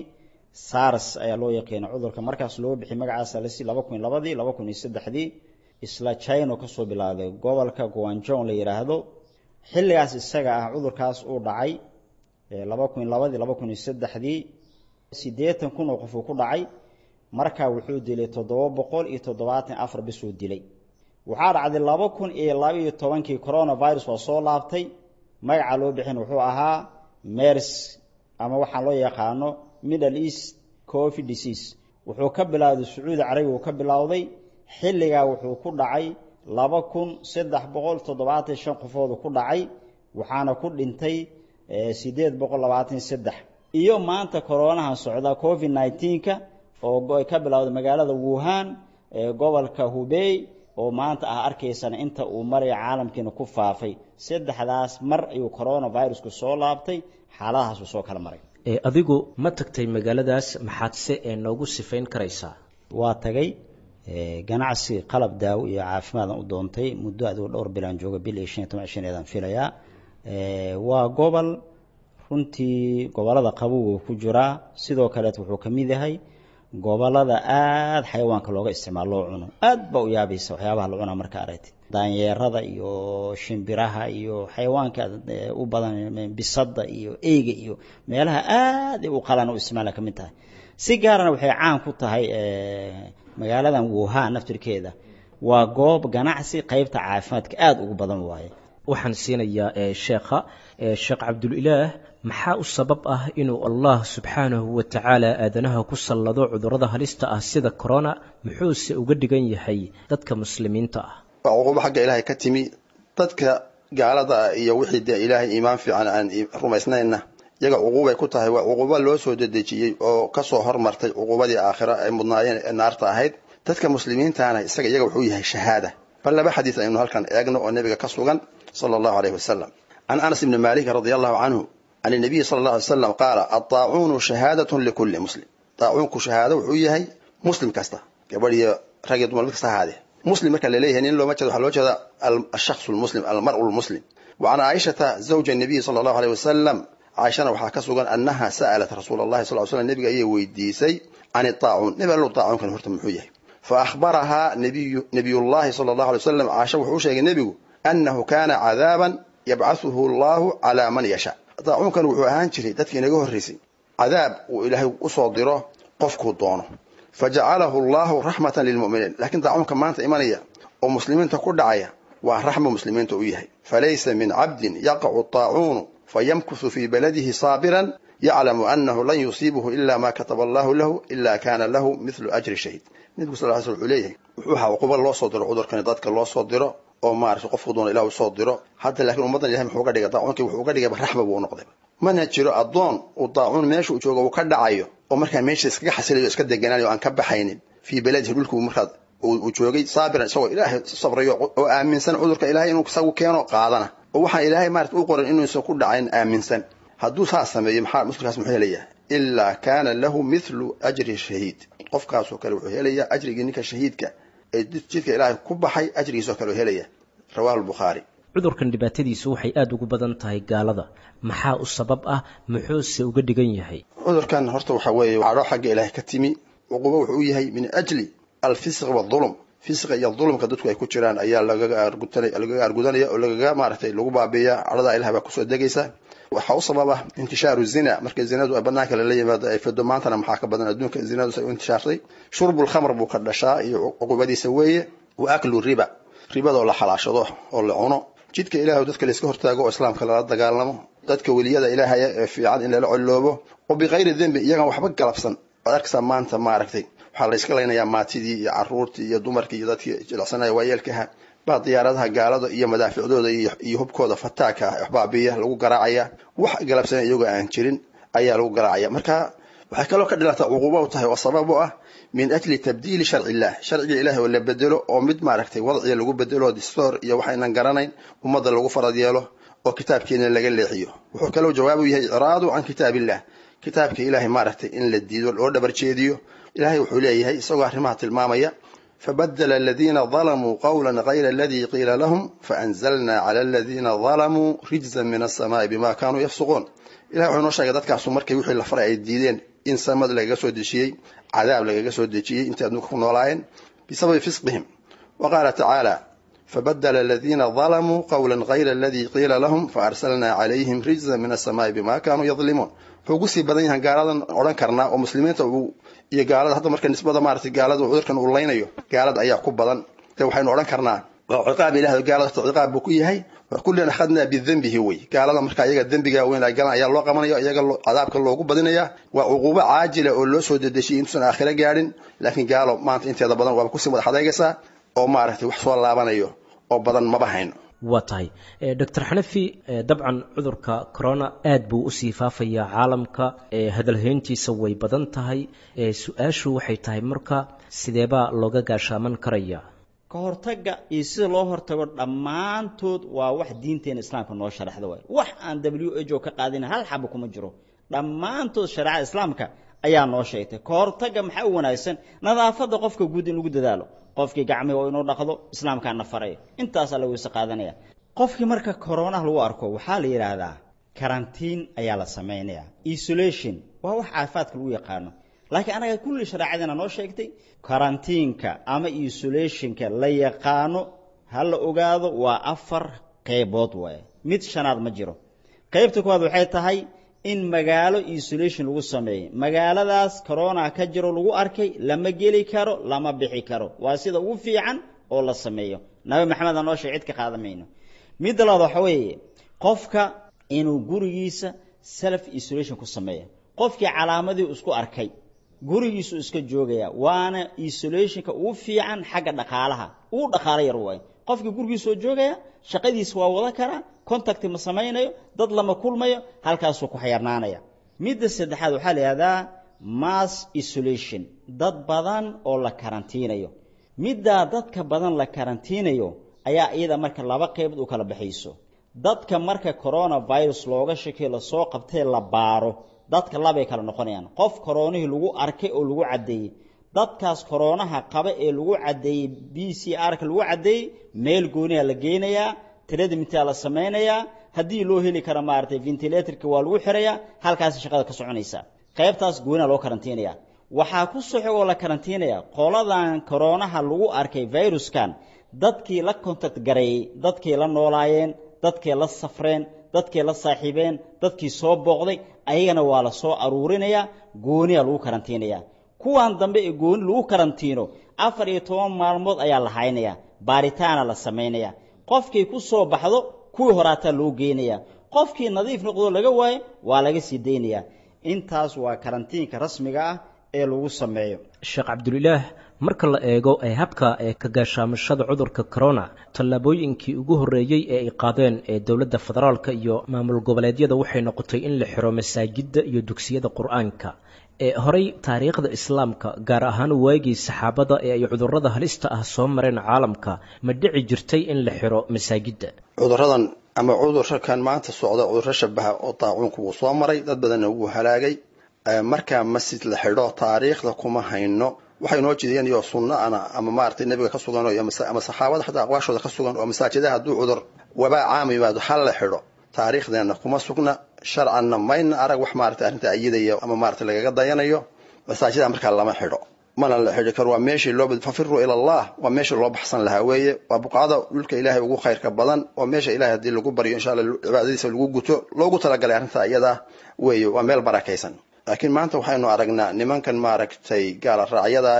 SARS ayaa loo yaqiina cudurka markaas loo bixiyay magacaasa lasi. 2002-dii, 2003-dii isla China ka soo bilowday, gobolka Guangzhou la yidhaahdo. Xilligaas isaga ah cudurkaas uu dhacay 2002-dii, 2003-dii, 80,000 oo qof uu ku dhacay. Markaa wuxuu dilay 774 bisuu dilay. Waxaa dhacday 2012-kii coronavirus waa soo laabtay, magaca loo bixin wuxuu ahaa MERS ama waxaa loo yaqaano Middle East Covid disease. Wuxuu ka bilowday Sacuudi Carabiga uu ka bilowday. Xilligaa wuxuu ku dhacay 2375 qofoodu ku dhacay, waxaana ku dhintay 823. Iyo maanta koronahan socda, Covid 19-ka, oo ka bilowday magaalada Wuhan ee gobolka Hubei, oo maanta ah arkaysana inta uu maraya caalamkiina ku faafay. Saddexdaas mar ayuu coronavirusku soo laabtay, xaaladahaasuu soo kala maray. Adigu ma tagtay magaaladaas? Maxaadse ee noogu sifayn karaysaa? Waa tagay, ganacsi qalab daawo iyo caafimaadan u doontay. Muddo adigu dhowr bilaan jooga, bil iyo 15 cishaneedaan filayaa. Waa gobol runtii gobolada qabowga ku jiraa, sidoo kaleet wuxuu ka mid yahay gobolada aada xayawaanka looga isticmaalo, loo cuno. Aad baa u yaabaysa waxyaabaha la cunaa marka aragtid, daanyeerada iyo shimbiraha iyo xayawaanka u badan, bisada iyo eyga iyo meelaha aad u qalan u isticmaala ka mid tahay. Si gaarana waxay caan ku tahay magaaladan Wuhan naftirkeeda, waa goob ganacsi qaybta caafimaadka aada ugu badan waaye. Waxaan siinayaa sheekha Sheekh Cabdulilaah. Maxaa u sabab ah inuu Allah subxaanahu wa tacaala aadanaha ku sallado cudurrada halista ah sida corona? Muxuuse uga dhigan yahay dadka muslimiinta ah? Waa cuqubo xagga Ilaahay ka timi. Dadka gaalada ah iyo wixii dee Ilaahay iimaan fiican aan rumaysnayna, iyaga cuquubay ku tahay. Waa cuqubo loo soo dedejiyey oo kasoo hormartay cuqubadii aakhira ay mudnaayeen ee naarta ahayd. Dadka muslimiintaana isaga iyaga wuxuu yahay shahaada. Bal laba xadiis aynu halkan eegno oo nebiga ka sugan sala Allahu alayhi wasalam. Can Anas ibni Malik radia Allahu canhu can inabiyi sala Allah alay slam qaala: addaacuunu shahaadatun likulli muslim. Daacuunku shahaado wuxuu yahay muslim kasta, gabadh iyo rag iyo dumar mid kasta ahaadee. Muslim marka laleeyahay nin looma jeedo, waxaa loo jeeda alshaksu lmuslim, almar'u lmuslim. Wa can Caaishata zawja nabiyi sala Allahu alayh wasalam, Caaishana waxaa ka sugan annaha sa'alat rasuula Allahi sal slam, nebiga ayay weydiisay, can idaacuun, nebi allow daacuunkan horta muxuu yahay? Fa akhbarahaa nabiyullaahi sala allahu alay wasalam, Caasha wuxuu u sheegay nebigu annahu kaana cadaaban yabcathuhu allahu calaa man yashaa. Daacuunkan wuxuu ahaan jiray dadkii inaga horraysay cadaab uu Ilaahay usoo diro qofkuu doono. Fajacalahu allahu raxmatan lilmu'miniin. Laakiin daacuunka maanta imanaya oo muslimiinta ku dhacaya waa raxmo muslimiinta u yahay. Falaysa min cabdin yaqacu taacuunu fayamkuthu fii baladihi saabiran yaclamu annahu lan yusiibuhu ila ma kataba allahu lahu ila kaana lahu mithlu ajri shahiid. Nebigu sal ly sl wuxuu leeyahay wuxuu ahaa cuquba loo soo diro cudurkani, dadka loo soo diro oo maaragtay qofku doona Ilah usoo diro. Hadda laakiin ummaddan Ilahay muxuu uga dhigay daacuunkii? Wuxuu uga dhigayba raxma buu u noqday. Mana jiro addoon uu daacuun meesha uu joogo uu ka dhacayo oo markaa meesha iskaga xasilayo, iska deganaanayo, aan ka baxaynin fii baladihi, dhulku markaa uu joogay, saabiran, isagoo Ilaahay sabrayo oo aaminsan cudurka Ilahay inuu isagu keeno qaadana, oo waxaan Ilaahay maarata u qoran inuusan ku dhacayn aaminsan. Hadduu saas sameeyo, maxaa muslimkaas muxuu helayaa? Ilaa kaana lahu mithlu ajri shahiid. Qofkaasoo kale wuxuu helayaa ajrigii ninka shahiidka ee jidka Ilaahay ku baxay, ajrigiisoo kale uu helaya. Rawahu Albukhaari. Cudurkan dhibaatadiisu waxay aada ugu badan tahay gaalada. Maxaa u sabab ah, muxuuse uga dhigan yahay? Cudurkan horta waxaa weeye cadho xagga Ilaahay ka timi. Cuqubo wuxuu u yahay min ajli alfisq waadulum, fisqa iyo dulumka dadku ay ku jiraan ayaa lagaga argudanaya oo lagaga maaragtay lagu baabiiya. Cadhada Ilaah baa kusoo degaysa. Waxaa u sababa intishaaru zina, marka zinadu ay banaanka lala yimaado ay fido. Maantana maxaa ka badan adduunka zinadu say u intishaartay. Shurbul khamr buu ka dhashaa iyo cuqubadiisa weeye, wa aklu riba, ribadoo la xalaashado oo la cuno, jidka Ilaah dadka layska hortaago oo islaamka lala dagaalamo, dadka weliyada Ilaahaya ee fiican in lala colloobo oo bikayri dembi, iyagan waxba galabsan. Waad arkaysaa maanta maaragtay waxaa la iska laynayaa maatidii iyo caruurtii iyo dumarkii iyo dadkii jilicsanaya waayeelkaha baa diyaaradaha gaalada iyo madaaficdooda iyo hubkooda fataaka ah waxbaabiya lagu garaacaya. Wax galabsana iyagoo aan jirin ayaa lagu garaacaya. Marka waxay kaloo ka dhilata cuquubo u tahay oo sabab u ah min ajli tabdiili sharci illah, sharciga Ilahi oo la bedelo oo mid maaragtay wadciga lagu bedelo, distoor iyo waxaynan garanayn ummadda lagu farad yeelo oo kitaabkeena laga leexiyo. Wuxuu kaloo jawaab u yahay icraadu can kitaab illah, kitaabka Ilaahay maaragtay in la diido loo dhabar jeediyo. Ilahay wuxuu leeyahay isagoo arrimaha tilmaamaya: fabadala aladiina dalamuu qawla gayra aladii qiila lahum faanzalna cala aladiina dalamuu rijzan min alsamaai bima kaanuu yafsuquun. Ilahay wuxuu inoo sheegay dadkaasu markay wixii la faray ay diideen in samada lagaga soo dejiyey cadaab, lagaga soo dejiyey intay adduunka ku noolaayeen bisababi fisqihim. Wa qaala tacaala: fabadala aladiina dalamuu qawla gayra aladii qiila lahum faarsalnaa calayhim rijzan min alsamaai bima kaanuu yadlimuun. Wuxuu ugu sii badan yahan gaaladan odhan karnaa oo muslimiinta iyo gaalada hadda marka nisbada maaragtay gaalada cudurkan uu laynayo gaalada ayaa ku badan. De waxaynu odhan karnaa waa ciqaab Ilaah, gaalada ciqaab buu ku yahay. Kullan akhadnaa bidembihi wey. Gaalada marka iyaga dembiga weyn ay galaan ayaa loo qabanaya, iyaga cadaabka loogu badinaya. Waa cuquubo caajila oo loo soo dedejiyay intuusan aakhiro gaadhin. Laakiin gaalo maanta inteeda badan waaba kusii wada xadeegaysaa oo maaragtay wax soo laabanayo oo badan maba hayno. Waa tahay, Doctor Xanafi. Dabcan cudurka corona aad buu usii faafayaa caalamka, hadalhayntiisa way badan tahay. Su-aashu waxay tahay marka sideebaa looga gaashaaman karaya? Ka hortagga iyo sida loo hortago dhammaantood waa wax diinteena islaamka noo sharaxda waay. Wax aan WHO ka qaadin hal xaba kuma jiro. Dhammaantood shareecada islaamka ayaa noo sheegtay. Ka hortagga maxaa u wanaagsan? Nadaafadda qofka guud in lagu dadaalo, qofkii gacmihi oo inuu dhaqdo, islaamkaa na faraya. Intaasaa la weyse qaadanaya. Qofkii marka koronaha lagu arko waxaa la yidhaahdaa karantiin ayaa la samaynaya, isolation waa wax caafimaadka lagu yaqaano, laakiin anaga kulli shareecadina noo sheegtay. Karantiinka ama isolationka la yaqaano ha la ogaado waa 4 qaybood waaye, mid shanaad ma jiro. Qaybta koowaad waxay tahay in magaalo isolation lagu sameeyo. Magaaladaas corona ka jiro lagu arkay lama geli karo, lama bixi karo. Waa sida ugu fiican oo la sameeyo. Nabi Maxamed noo sheegay, cid ka qaadamayno. Midda labaad waxa weeye qofka inuu gurigiisa self isolation ku sameeyo. Qofkii calaamadii isku arkay gurigiisu iska joogaya, waana isolationka ugu fiican xagga dhaqaalaha, ugu dhaqaalo yar waaye. Qofkii gurigiisa oo joogaya shaqadiisa waa wada karaa, contact ma samaynayo, dad lama kulmayo, halkaasuu ku xayarnaanaya. Midda saddexaad waxaa la yidhahdaa mass isolation, dad badan oo la karantiinayo. Middaa dadka badan la karantiinayo ayaa iyada marka laba qaybood u kala baxayso. Dadka marka coronavirus looga shakiyo lasoo qabtay la baaro, dadka labay kala noqonayaan. Qof koronihii lagu arkay oo lagu caddeeyey, dadkaas koronaha qaba ee lagu caddeeyey PCR-ka lagu caddeeyey, meel gooniyaa la geynayaa, treatmentaa la samaynayaa, haddii loo heli karo maaragtay ventilatorka waa lagu xirayaa, halkaasi shaqada ka soconaysaa. Qaybtaas gooniyaa loo karantiinayaa. Waxaa ku soo xigoo la karantiinaya qoladan koroonaha lagu arkay viruskan, dadkii la contact gareeyey, dadkii la noolaayeen, dadkii la safreen, dadkii la saaxiibeen, dadkii soo booqday, ayagana waa la soo aruurinayaa, gooniyaa lagu karantiinayaa. Kuwan dambe ee gooni lagu karantiino 14 maalmood ayaa la haynayaa, baaritaana la samaynayaa. Qofkii ku soo baxdo kuwii horaataa loo geynayaa, qofkii nadiif noqdo laga waayo waa laga sii daynayaa. Intaas waa karantiinka rasmiga ah ee lagu sameeyo. Sheekh Cabdulilaah, marka la eego ee habka ee ka gaashaamashada cudurka corona, tallaabooyinkii ugu horreeyey ee ay qaadeen ee dowladda federaalka iyo maamul goboleedyada waxay noqotay in la xiro masaajidda iyo dugsiyada qur-aanka. Ee horey taariikhda islaamka, gaar ahaan waagii saxaabada ee ay cudurrada halista ah soo mareen caalamka, ma dhici jirtay in la xiro masaajidda? Cudurradan ama cudurkan maanta socda, cudurro shabaha oo daacuunku wuu soo maray, dad badanna wuu halaagay. Markaa masjid la xidho taariikhda kuma hayno. Waxay noo jeediyeen iyo sunno ana ama maaragtay nabiga ka sugan ama saxaabada xataa aqwaashooda ka sugan oo masaajidaha hadduu cudur wabaa caam yimaado hal la xidho, taariikhdeenna kuma sugna, sharcanna mayna arag wax maaragtay arrinta ayidaya ama maaragtay lagaga dayanayo. Masaajidaha markaa lama xidho, mana la xidhi karo. Waa meeshii loo fafiruu ila Allah, waa meeshii loo baxsan lahaa weeye. Waa buqacada dhulka ilaahay ugu khayrka badan, waa meesha ilaahay haddii lagu baryo insha Allah cibaadadiisa lagu guto loogu talagalay arrinta iyada weeye, waa meel barakaysan. Laakiin maanta waxaynu aragnaa nimankan maaragtay gaala raacyada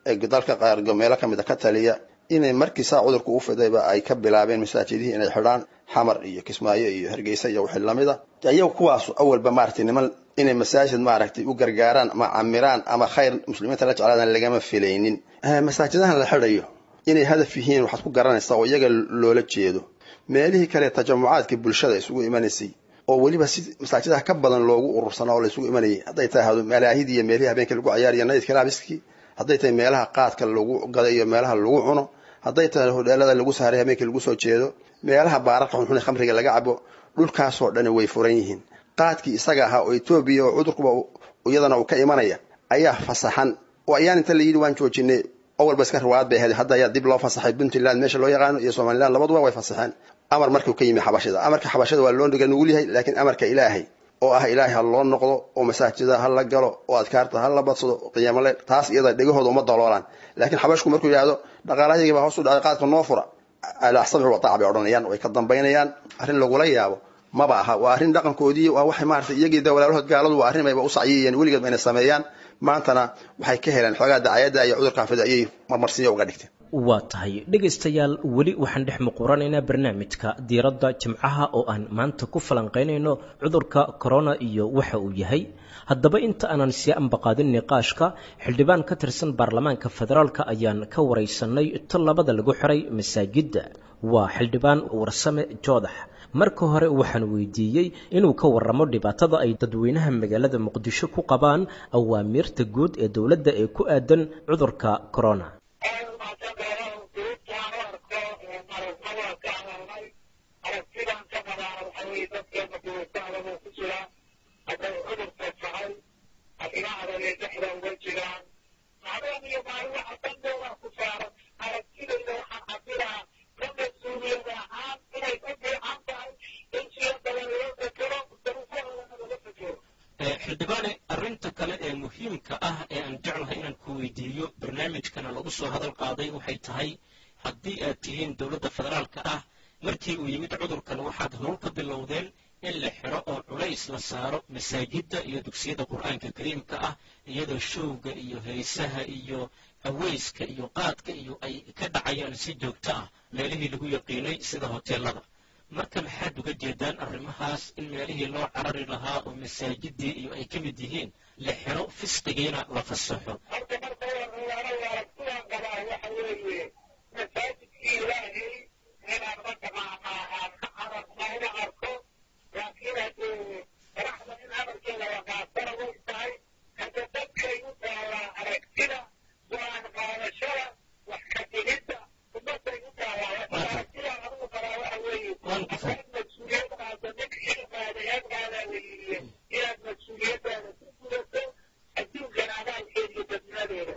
ee dalka qaar meelo ka mid a ka taliya inay markii saa cudurku u fidayba ay ka bilaabeen masaajidihii inay xidhaan, Xamar iyo Kismaayo iyo Hargeysa iyo wixii lamid a. Iyagu kuwaas awalba maaragtay niman inay masaajid maaragtay u gargaaraan ama camiraan ama khayr muslimiinta la jeclaadaan lagama filaynin. Masaajidahan la xidhayo inay hadaf yihiin waxaad ku garanaysaa oo iyaga loola jeedo meelihii kale tajamucaadkii bulshada isugu imanaysay oo weliba si masaajidaha ka badan loogu urursanaa oo la isugu imanayay, hadday tahay malaahidii iyo meelihii habeenkii lagu cayaariyo nayidka laabiskii, hadday tahay meelaha qaadka lagu gada iyo meelaha lagu cuno, hadday tahay hodheelada lagu saaray habeenkii lagu soo jeedo, meelaha baararka xunxun ee khamriga laga cabo, dhulkaasoo dhani way furan yihiin. Qaadkii isaga ahaa oo Etoobiya oo cudurkuba iyadana uu ka imanaya ayaa fasaxan, oo ayaan inta la yidhi waan joojinay, awalba iska riwaayad bay ahayd, hadda ayaa dib loo fasaxay. Puntland meesha loo yaqaano iyo Somaliland labaduba way fasaxeen amar markuu ka yimi xabashida. Amarka xabashida waa loo nugul yahay, laakiin amarka ilaahay oo ah ilaahay ha loo noqdo oo masaajida ha la galo oo adkaarta ha la badsado qiyaamale, taas iyada dhegahooda uma daloolaan. Laakiin xabashku markuu yidhaahdo dhaqaalahayga baa hoos u dhacay, qaadka noo fura, alaa samci wa taac bay odhanayaan, way ka dambaynayaan. Arrin lagula yaabo maba aha, waa arrin dhaqankoodii, waa waxay maaragtay iyagii da walaalahood gaaladu waa arrin ayba u sacyiyeen weligeed bayna sameeyaan. Maantana waxay ka heleen xoogaa dacayadda iyo cudurkan fida ayay marmarsiyo uga dhigteen. Waa tahay dhegaystayaal, weli waxaan dhex muquranaynaa barnaamijka diiradda jimcaha oo aan maanta ku falanqaynayno cudurka corona iyo waxa uu yahay. Haddaba inta aanan sii ambaqaadin niqaashka, xildhibaan ka tirsan baarlamaanka federaalka ayaan ka waraysanay tallabada lagu xiray masaajidda. Waa xildhibaan Warsame Joodax. Marka hore waxaan weydiiyey inuu ka waramo dhibaatada ay dadweynaha magaalada Muqdisho ku qabaan awaamiirta guud ee dowladda ee ku aadan cudurka corona. Xildhibaane, arrinta kale ee muhiimka ah ee aan jeclahay inaan ku weydiiyo barnaamijkana lagu soo hadal qaaday waxay tahay, haddii aad tihiin dowladda federaalka ah, markii uu yimid cudurkan waxaad howl ka bilowdeen in la xiro oo culays la saaro masaajidda iyo dugsiyada qur-aanka kariimka ah, iyadoo showga iyo heesaha iyo haweyska iyo qaadka iyo ay ka dhacayaan si joogto ah meelihii lagu yaqiinay sida hoteelada. Marka maxaad uga jeedaan arrimahaas in meelihii loo carari lahaa oo masaajidii iyo ay ka mid yihiin la xiro, fisqigiina la fasaxo? Horta marka hore aragtidaan qabaa waxa weeye masaajidkii ilaahay inaan mataqaanaa aan ka cararno una arko, laakiin haddee madaxda in amarkeeda la qaatana way tahay. Hadda dadkay u taalaa aragtida, go-aan qaadashada, wax ka dhigidda ummadday u taalaa. Aragtidaan anugu qabaa waxa weeye hadaad mas-uuliyad qaado, nin xil qaada eed qaadaa la yidhi, inaad mas-uuliyaddaada ku gudato adduunkan abaalkeeda iyo dadnimadeeda.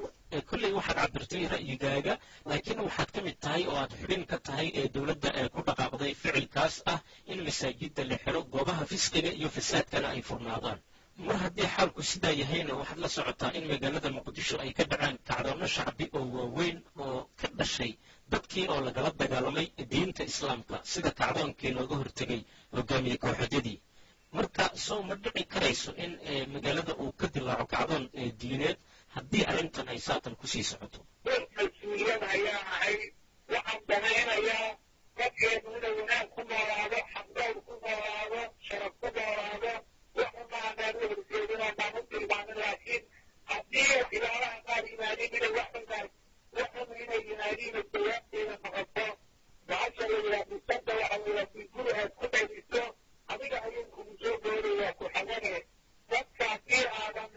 Kolley waxaad cabirtay ra'yigaaga, laakiin waxaad ka mid tahay oo aad xubin ka tahay ee dowladda ee ku dhaqaaqday ficilkaas ah in masaajidda la xiro, goobaha fisqiga iyo fasaadkana ay furnaadaan. Mar haddii xaalku sidaa yahayna, waxaad la socotaa in magaalada Muqdisho ay ka dhaceen kacdoonno shacbi oo waaweyn oo ka dhashay dadkii oo lagala dagaalamay diinta Islaamka, sida kacdoonkii looga hortegay hogaamiye kooxeedyadii. Marka soo ma dhici karayso in magaalada uu ka dilaaco kacdoon diineed haddii arrintan ay saatan kusii socoto? Qof mas-uuliyad ayaa ahay. Waxaan danaynayaa dadkeenu inay wanaag ku noolaado, xaqdowr ku noolaado, sharaf ku noolaado. Waxumaanaan u horjeedin oo baan u tilmaamin, laakiin haddii waxyaalaha qaar yimaadiin inay waxunkaas waxun inay yimaadiin oo jawaabteeda noqoto bahasha la yidhaha bisada, waxa la yidhaha si guri aad ku dhaliso adiga ayuu kugu soo doodayaa ku xagane. Dadka haddii aadan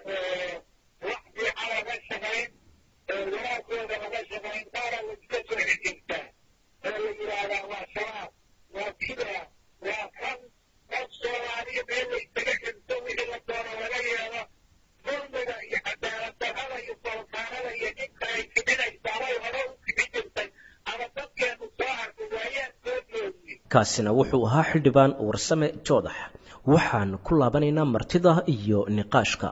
wax fiican laga shaqayn, wanaagooda laga shaqayn, qaara la iska soo xejintaa oo la yidhaahdaa waa Shabaab, waa kida, waa kan. Qof Soomaaliya meel la isaga xirto, wixii la doono laga yeelo, dulmiga iyo cadaalad darrada iyo foolkaanada iyo dhibka ay kicinaysaan ay hore u kici jirtay ama dadkeenu soo arkay waayaan soo joogiyey. Kaasina wuxuu ahaa xildhibaan Warsame Joodax. Waxaan ku laabanaynaa martida iyo niqaashka.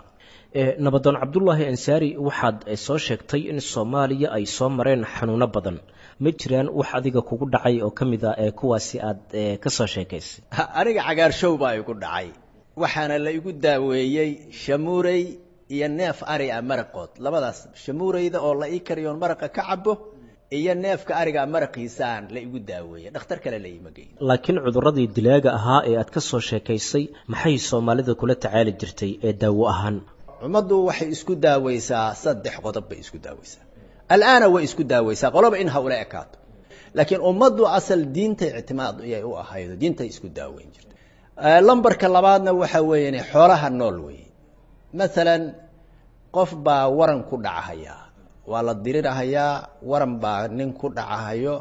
Nabadoon Cabdulaahi Ansaari, waxaad soo sheegtay in Soomaaliya ay soo mareen xanuuno badan. Ma jiraan wax adiga kugu dhacay oo ka mid ah ee kuwaasi aad ka soo sheekaysay? Aniga cagaarshow baa igu dhacay, waxaana la igu daaweeyey shamuurey iyo neef ari ah maraqood. Labadaas, shamuureyda oo la ii kariyoon maraqa ka cabo iyo neefka ariga maraqiisaan la igu daaweeyey. Dhakhtar kale la iima geyn. Laakiin cudurradii dilaaga ahaa ee aad ka soo sheekaysay, maxay Soomaalida kula tacaali jirtay ee daawo ahaan? Ummaddu waxay isku daaweysaa saddex qodob bay isku daaweysaa. Al'aana way isku daaweysaa, qoloba in ha ula ekaato, laakiin ummaddu asal diintay ictimaad ayay u ahaydo, diintay isku daaweyn jirtay. Lambarka labaadna waxa weeyaan xoolaha nool weeye. Maalan qof baa waran ku dhacahayaa, waa la dirirahayaa, waran baa nin ku dhacahayo,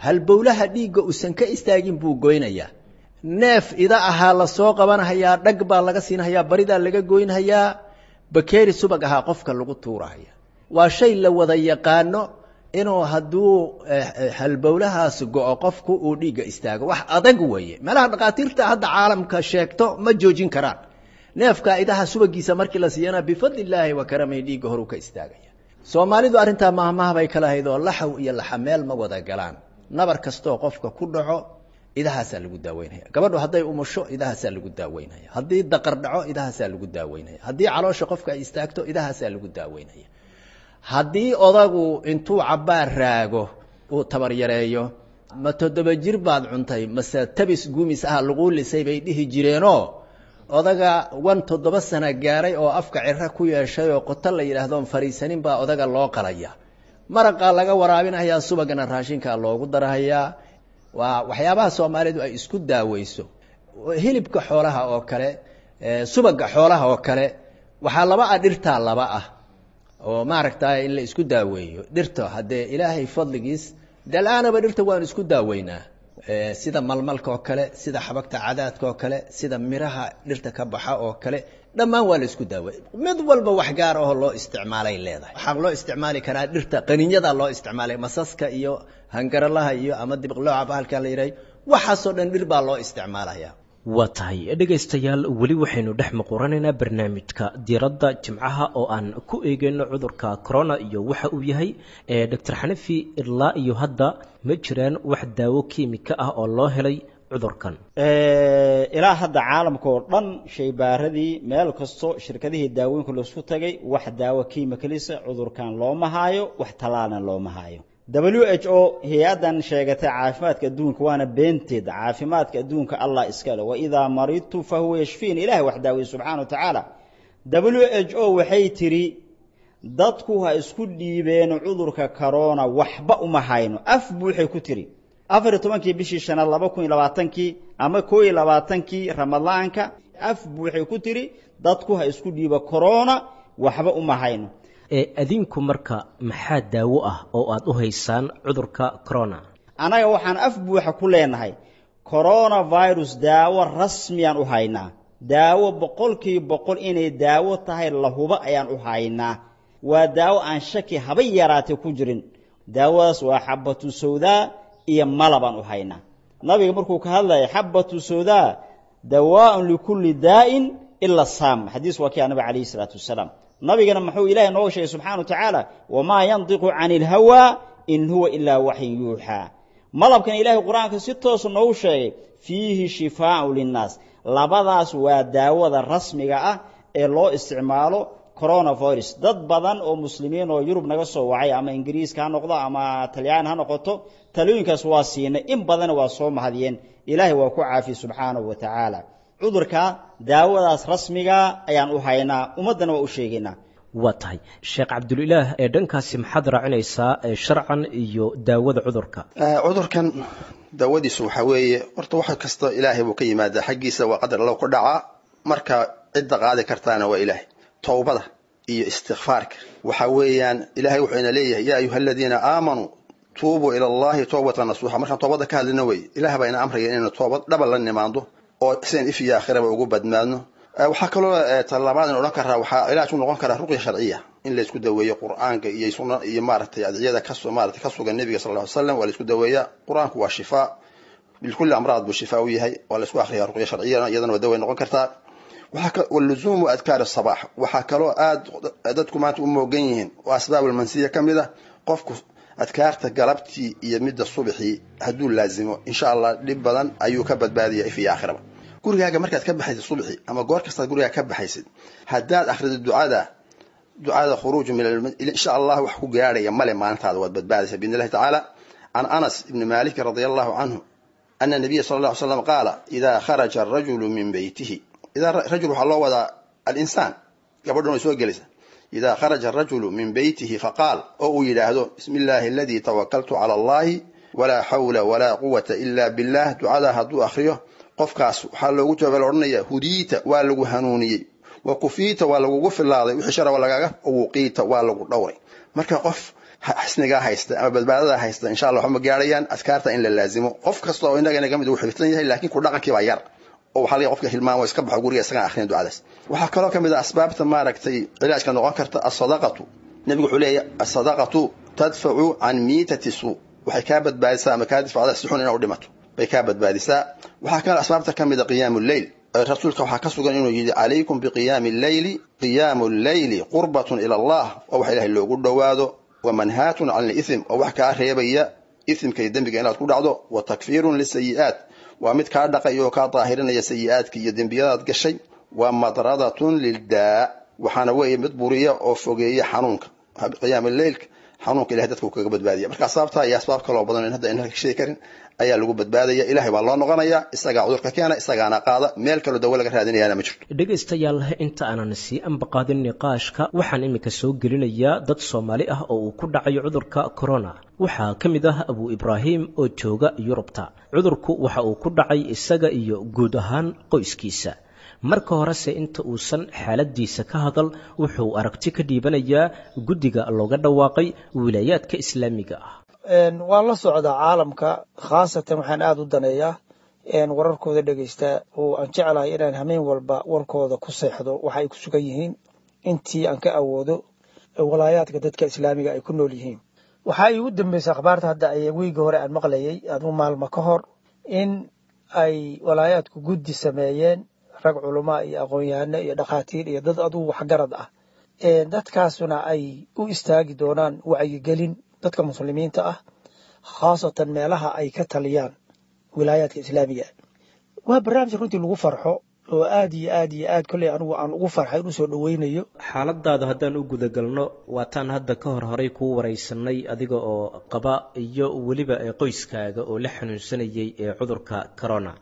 halbowlaha dhiigga uusan ka istaagin buu goynayaa. Neef ida ahaa la soo qabanhayaa, dhag baa laga siinhayaa, baridaa laga goynhayaa, bakeeri subag ahaa qofka lagu tuurahaya. Waa shay la wada yaqaano inuu hadduu halbowlahaas go'o qofku uu dhiigga istaago. Wax adag weeye, meelaha dhakhaatiirta hadda caalamka sheegto ma joojin karaan. Neefka idaha subagiisa markii la siiyana, bifadli illaahi wa karamihi, dhiigga horuu ka istaagaya. Soomaalidu arrintaa maahmaah bay kala hayd oo laxaw iyo laxameel ma wada galaan. Nabar kastoo qofka ku dhaco idahaasaa lagu daaweynaya. Gabadhu hadday umusho idahaasaa lagu daaweynaya. Haddii daqar dhaco idahaasaa lagu daaweynaya. Haddii caloosha qofka ay istaagto idahaasaa lagu daaweynaya. Haddii odagu intuu cabbaar raago uu tabar yareeyo, ma 7 jir baad cuntay mase tabis gumis ah laguu lisay bay dhihi jireenoo, odaga wan 7 sano gaaray oo afka ciro ku yeeshay oo qoto la yidhaahdoon fariisanin baa odaga loo qalaya, maraqaa laga waraabinayaa, subagana raashinkaa loogu darahayaa. Waa waxyaabaha Soomaalidu ay isku daaweyso. Hilibka xoolaha oo kale, subaga xoolaha oo kale, waxaa laba ah dhirtaa laba ah oo maaragtay in la isku daaweeyo dhirta. Haddee Ilaahay fadligiis dalaanaba dhirta waan isku daaweynaa, sida malmalka oo kale, sida xabagta cadaadka oo kale, sida miraha dhirta ka baxa oo kale, dhammaan waa la isku daaweey. Mid walba wax gaar ahoo loo isticmaalay leedahay. Waxaa loo isticmaali karaa dhirta qaninyada loo isticmaalay, masaska iyo hangaralaha iyo ama dibiqlooca bahalka la yidhahay, waxaasoo dhan dhir baa loo isticmaalaya. Waa tahay dhegaystayaal, weli waxaynu dhex muquranaynaa barnaamijka diiradda Jimcaha oo aan ku eegayno cudurka corona iyo waxa uu yahay. Doctor Xanafi, ilaa iyo hadda ma jiraan wax daawo kiimika ah oo loo helay cudurkan? Ilaa hadda caalamka oo dhan shaybaaradii meel kasto, shirkadihii daawooyinka laisku tagay, wax daawo kiimikalisa cudurkan looma haayo, wax tallaalna looma haayo. WHO, hay-addan sheegatay caafimaadka adduunka, waana beenteed. Caafimaadka adduunka Allah iskale, waidaa maridtu fahuwa yashfiin, Ilahay wax daaweye subxaana wa tacaala. WHO waxay tiri dadku ha isku dhiibeen cudurka corona, waxba uma hayno. Af buuxay ku tiri 14-kii bishii shanaad 2020-kii ama 21-kii Ramadaanka. Af buuxay ku tiri dadku ha isku dhiibo corona, waxba uma hayno. Adinku marka maxaa daawo ah oo aad u haysaan cudurka corona? Annaga waxaan af buuxa ku leenahay coronavirus daawo rasmiyaan u haynaa, daawo 100% inay daawo tahay lahuba ayaan u haynaa. Waa daawo aan shaki haba yaraatay ku jirin. Daawadaas waa xabatu sawdaa iyo malabaan u haynaa. Nabiga markuu ka hadlaya xabatu sawdaa dawaaun likulli daa'in Ila saam xadiis waa kii nabiga calayhi salaatu wasalaam. Nabigana muxuu Ilaahay nooga sheegay subxaanahu wa tacaala? Wamaa yantiqu cani ilhawaa in huwa ilaa waxyin yuuxaa. Malabkan Ilaahay Qur-aanka si toosa noogu sheegay fiihi shifaau linnaas. Labadaas waa daawada rasmiga ah ee loo isticmaalo coronavirus. Dad badan oo muslimiin oo Yurub naga soo wacay, ama Ingiriiska ha noqdo ama Talyaan ha noqoto, talooyinkaas waa siinay, in badanna waa soo mahadiyeen. Ilaahay waa ku caafiye subxaanahu wa tacaala. Cudurka daawadaas rasmiga ayaan u haynaa, ummaddana waa u sheegaynaa. Waa tahay, Sheekh Cabdulilaah, ee dhankaasi maxaad raacinaysaa sharcan iyo daawada cudurka? Cudurkan daawadiisu waxaa weeye, horta wax kasta Ilaahay buu ka yimaadaa xaggiisa, waa qadar allow ku dhacaa. Marka cidda qaadi kartaana waa Ilaahay. Towbada iyo istikfaarka waxaa weeyaan, Ilahay wuxuu ina leeyahay: yaa ayuha aladiina aamanuu tuubuu ila Allahi towbatan nasuuxa. Markaan toobadda ka hadlina wey, Ilaah baa ina amraya inaynu toobad dhaba la nimaando oo sidan if iyo aakhiraba ugu badmaadno. Waxaa kaloo talabaad in odhan karaa, waxaa cilaaj u noqon karaa ruqya sharciya, in laysku daweeyo Qur-aanka iyo sunna iyo maaragtay adciyada kaso maaragtay ka sugan Nebiga sal lla ly slam. Waa laysku daweeyaa. Qur-aanku waa shifaa likulli amraad buu shifaa u yahay. Waa laysku akhriyaa ruqya sharciyana, iyadana waa daway noqon kartaa. Waluzuumu adkaar asabaax. Waxaa kaloo aad dadku maanta u moogan yihiin oo asbaab almansiya ka mid ah, qofku adkaarta galabtii iyo midda subaxii hadduu laazimo, insha Allah dhib badan ayuu ka badbaadaya if iyo aakhiraba. Gurigaaga markaad ka baxaysid subaxii ama goor kastaad gurigaaga ka baxaysid, haddaad akhrido ducada khuruuj min, insha Allah wax ku gaadhaya male, maalintaada waad badbaadaysa biidni Illahi tacaala. Can Anas ibni Malik radia Allahu canhu ana nabiya sala alla ly slam qaala: idaa kharaja arajulu min beytihi. Idaa rajul waxaa loo wadaa alinsaan, gabadhuna way soo gelaysa. Idaa kharaja arajulu min beytihi faqaal, oo uu yidhaahdo: bismi illaahi aladii tawakaltu cala Allahi, walaa xawla walaa quwata ila billah. Ducadaa hadduu akhriyo qofkaas, waxaa loogu jawaaba la odhanaya: hudiita, waa lagu hanuuniyey, wa kufiita, waa lagugu filaaday wixii shara lagaaga, wuqiita, waa lagu dhowray. Marka qof xisnigaa haysta ama badbaadadaa haysta, insha Allah waxma gaarayaan. Adkaarta in la laazimo, qof kasta oo innaga inaga mid uu xifdsan yahay, laakiin ku dhaqankii baa yar oo waxaa laga qofka hilmaamo, iska baxo guriga isagaan akhrin ducadaas. Waxaa kaloo ka mid ah asbaabta maaragtay cilaajka noqon karta asadaqatu. Nebigu wuxuu leeyahy: asadaqatu tadfacu can miitati suu. Waxay kaa badbaadisaa ama kaa difacdaa si xun inaa u dhimato bay kaa badbaadisaa. Waxaa kaloo asbaabta ka mid a qiyaamu lleyl. Rasuulka waxaa ka sugan inuu yidhi: calaykum biqiyaami lleyli, qiyaamu lleyli qurbatun ila Allah, oo wax Ilahay loogu dhowaado, wa manhaatun can lithm, oo wax kaa reebaya ithimka iyo dembiga inaad ku dhacdo, wa takfiirun lisayi'aat, waa mid kaa dhaqay oo kaa daahirinaya sayi'aadka iyo dembiyadaad gashay, wa madradatun lildaa, waxaana weeye mid buriya oo fogeeya xanuunka. Qiyaama leylka xanuunka Ilahay dadka uu kaga badbaadiya. Marka asbaabtaa iyo asbaab kaloo badan in hadda in sheegi karin ayaa lagu badbaadaya. Ilahay baa loo noqonaya, isagaa cudurka keena, isagaana qaada, meel kaloo dawo laga raadinayaana ma jirto. Dhegaystayaal, inta aanan sii ambaqaadin niqaashka, waxaan iminka soo gelinayaa dad Soomaali ah oo uu ku dhacayo cudurka corona. Waxaa ka mid ah Abu Ibraahim oo jooga Yurubta. Cudurku waxa uu ku dhacay isaga iyo guud ahaan qoyskiisa. Marka horese inta uusan xaaladiisa ka hadal, wuxuu aragti ka dhiibanayaa guddiga looga dhawaaqay wilaayaadka islaamiga ah. Waan la socdaa caalamka, khaasatan waxaan aada u daneeyaa wararkooda dhegeysta oo aan jeclahay inaan hameen walba warkooda ku seexdo waxa ay ku sugan yihiin intii aan ka awoodo walaayaadka dadka islaamiga ay ku nool yihiin. Waxaa iigu dambeysay akhbaarta hadda ay wiigii hore aan maqlayay, aduu maalmo ka hor, in ay walaayaadku guddi sameeyeen, rag culamaa iyo aqoon-yahano iyo dhakhaatiir iyo dad adugu waxgarad ah, dadkaasuna ay u istaagi doonaan wacyigelin dadka muslimiinta ah, khaasatan meelaha ay ka taliyaan wilaayaadka islaamiga. Waa barnaamij runtii lagu farxo oo aad iyo aad iyo aad kolley anigu aan ugu farxay in usoo dhoweynayo. Xaaladaada haddaan u gudagalno, waataan hadda ka hor horay kuu waraysanay adiga oo qaba iyo weliba qoyskaaga oo la xanuunsanayay ee cudurka corona.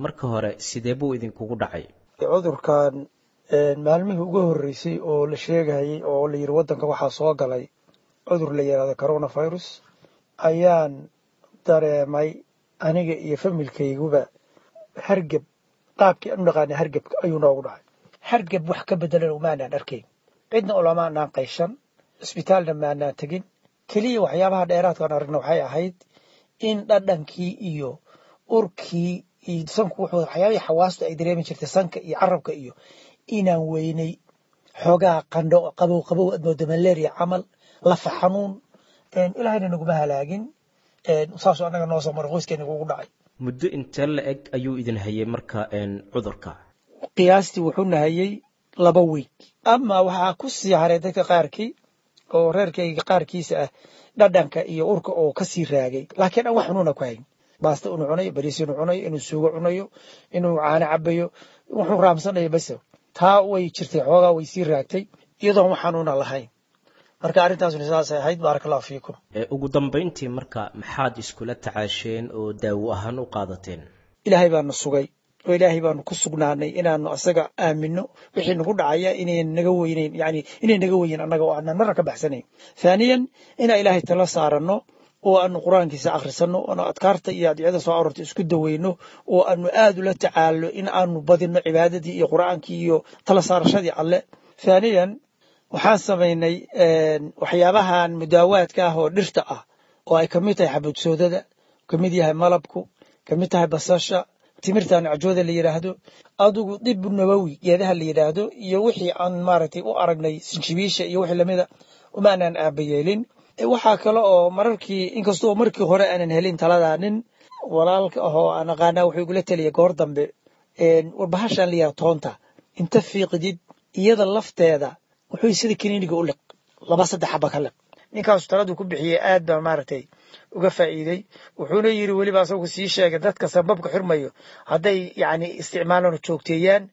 Marka hore sidee buu idinkugu dhacay cudurkan? Maalmihii ugu horreysay oo la sheegayay oo la yidhi waddanka waxaa soo galay cudur la yidhahdo coronavirus, ayaan dareemay aniga iyo familkayguba hargeb. Qaabkii aan u naqaanay hargebka ayuu noogu dhacay. Hargeb wax ka bedelan umaanaan arkayn, cidna olamaanaan qayshan, isbitaalna maanaan tegin. Keliya waxyaabaha dheeraadkaan aragna waxay ahayd in dhadhankii iyo urkii iyo sanku wuxuu waxyaabihii xawaastu ay dareemi jirtay, sanka iyo carabka iyo, inaan weynay, xoogaa qandho qabow qabow aad moodo malaria camal, lafa xanuun. Ilaahayna naguma halaagin, saasoo annaga noo soo maray, qoyskeena ugu dhacay. Muddo intee la eg ayuu idin hayay marka cudurka? Qiyaastii wuxuu nahayey 2 wiig. Ama waxaa ku sii haray dadka qaarkii oo reerkayga qaarkiisa ah dhadhanka iyo urka oo ka sii raagay, laakiin aan wax xanuuna ku hayn. Baasta inuu cunayo, bariis inuu cunayo, inuu suugo cunayo, inuu caano cabayo, wuxuu raamsanayo bas. Taa way jirtay, xoogaa way sii raagtay iyadoon wax xanuuna lahayn. Marka arrintaasuna sidaasay ahayd. Baaraka allahu fiikum. Ugu dambayntii marka maxaad iskula tacaasheen oo daawo ahaan u qaadateen? Ilaahay baanu sugay oo ilaahay baanu ku sugnaanay inaanu asaga aamino wixii nagu dhacaya inay naga weynayn, yani inay naga weynin annaga oo aanan marna ka baxsanayn. Thaaniyan, inaan ilaahay tala saaranno oo aanu qur-aankiisa akhrisanno, oonu adkaarta iyo adicada soo aroortay isku daweyno, oo aanu aad ula tacaallo in aanu badinno cibaadadii iyo qur-aankii iyo tala saarashadii Alle. Thaaniyan, waxaan samaynay waxyaabahan mudaawaadka ah oo dhirta ah oo ay kamid tahay xabadsoodada, kamid yahay malabku, kamid tahay basasha, timirtan cajooda la yidhaahdo, adigu dib nabawi geedaha la yidhaahdo, iyo wixii aan maaragtay u aragnay sinjibiisha iyo wixii lamida umaanaan aabayeelin. Waxaa kale oo mararkii, inkastoo markii hore aanan helin taladaa, nin walaalka ah oo aan aqaanaa wuxuu igula taliyay goor dambe, war bahashan la yidhahdo toonta inta fiiqdid iyada lafteeda wuxuu sida kiniiniga u liq, 2-3 xaba ka liq. Ninkaasu taladuu ku bixiyey aad baa maaragtay uga faa'iiday. Wuxuuna yiri weliba asagu sii sheegay dadka sababka xirmayo hadday yacni isticmaalaan oo joogteeyaan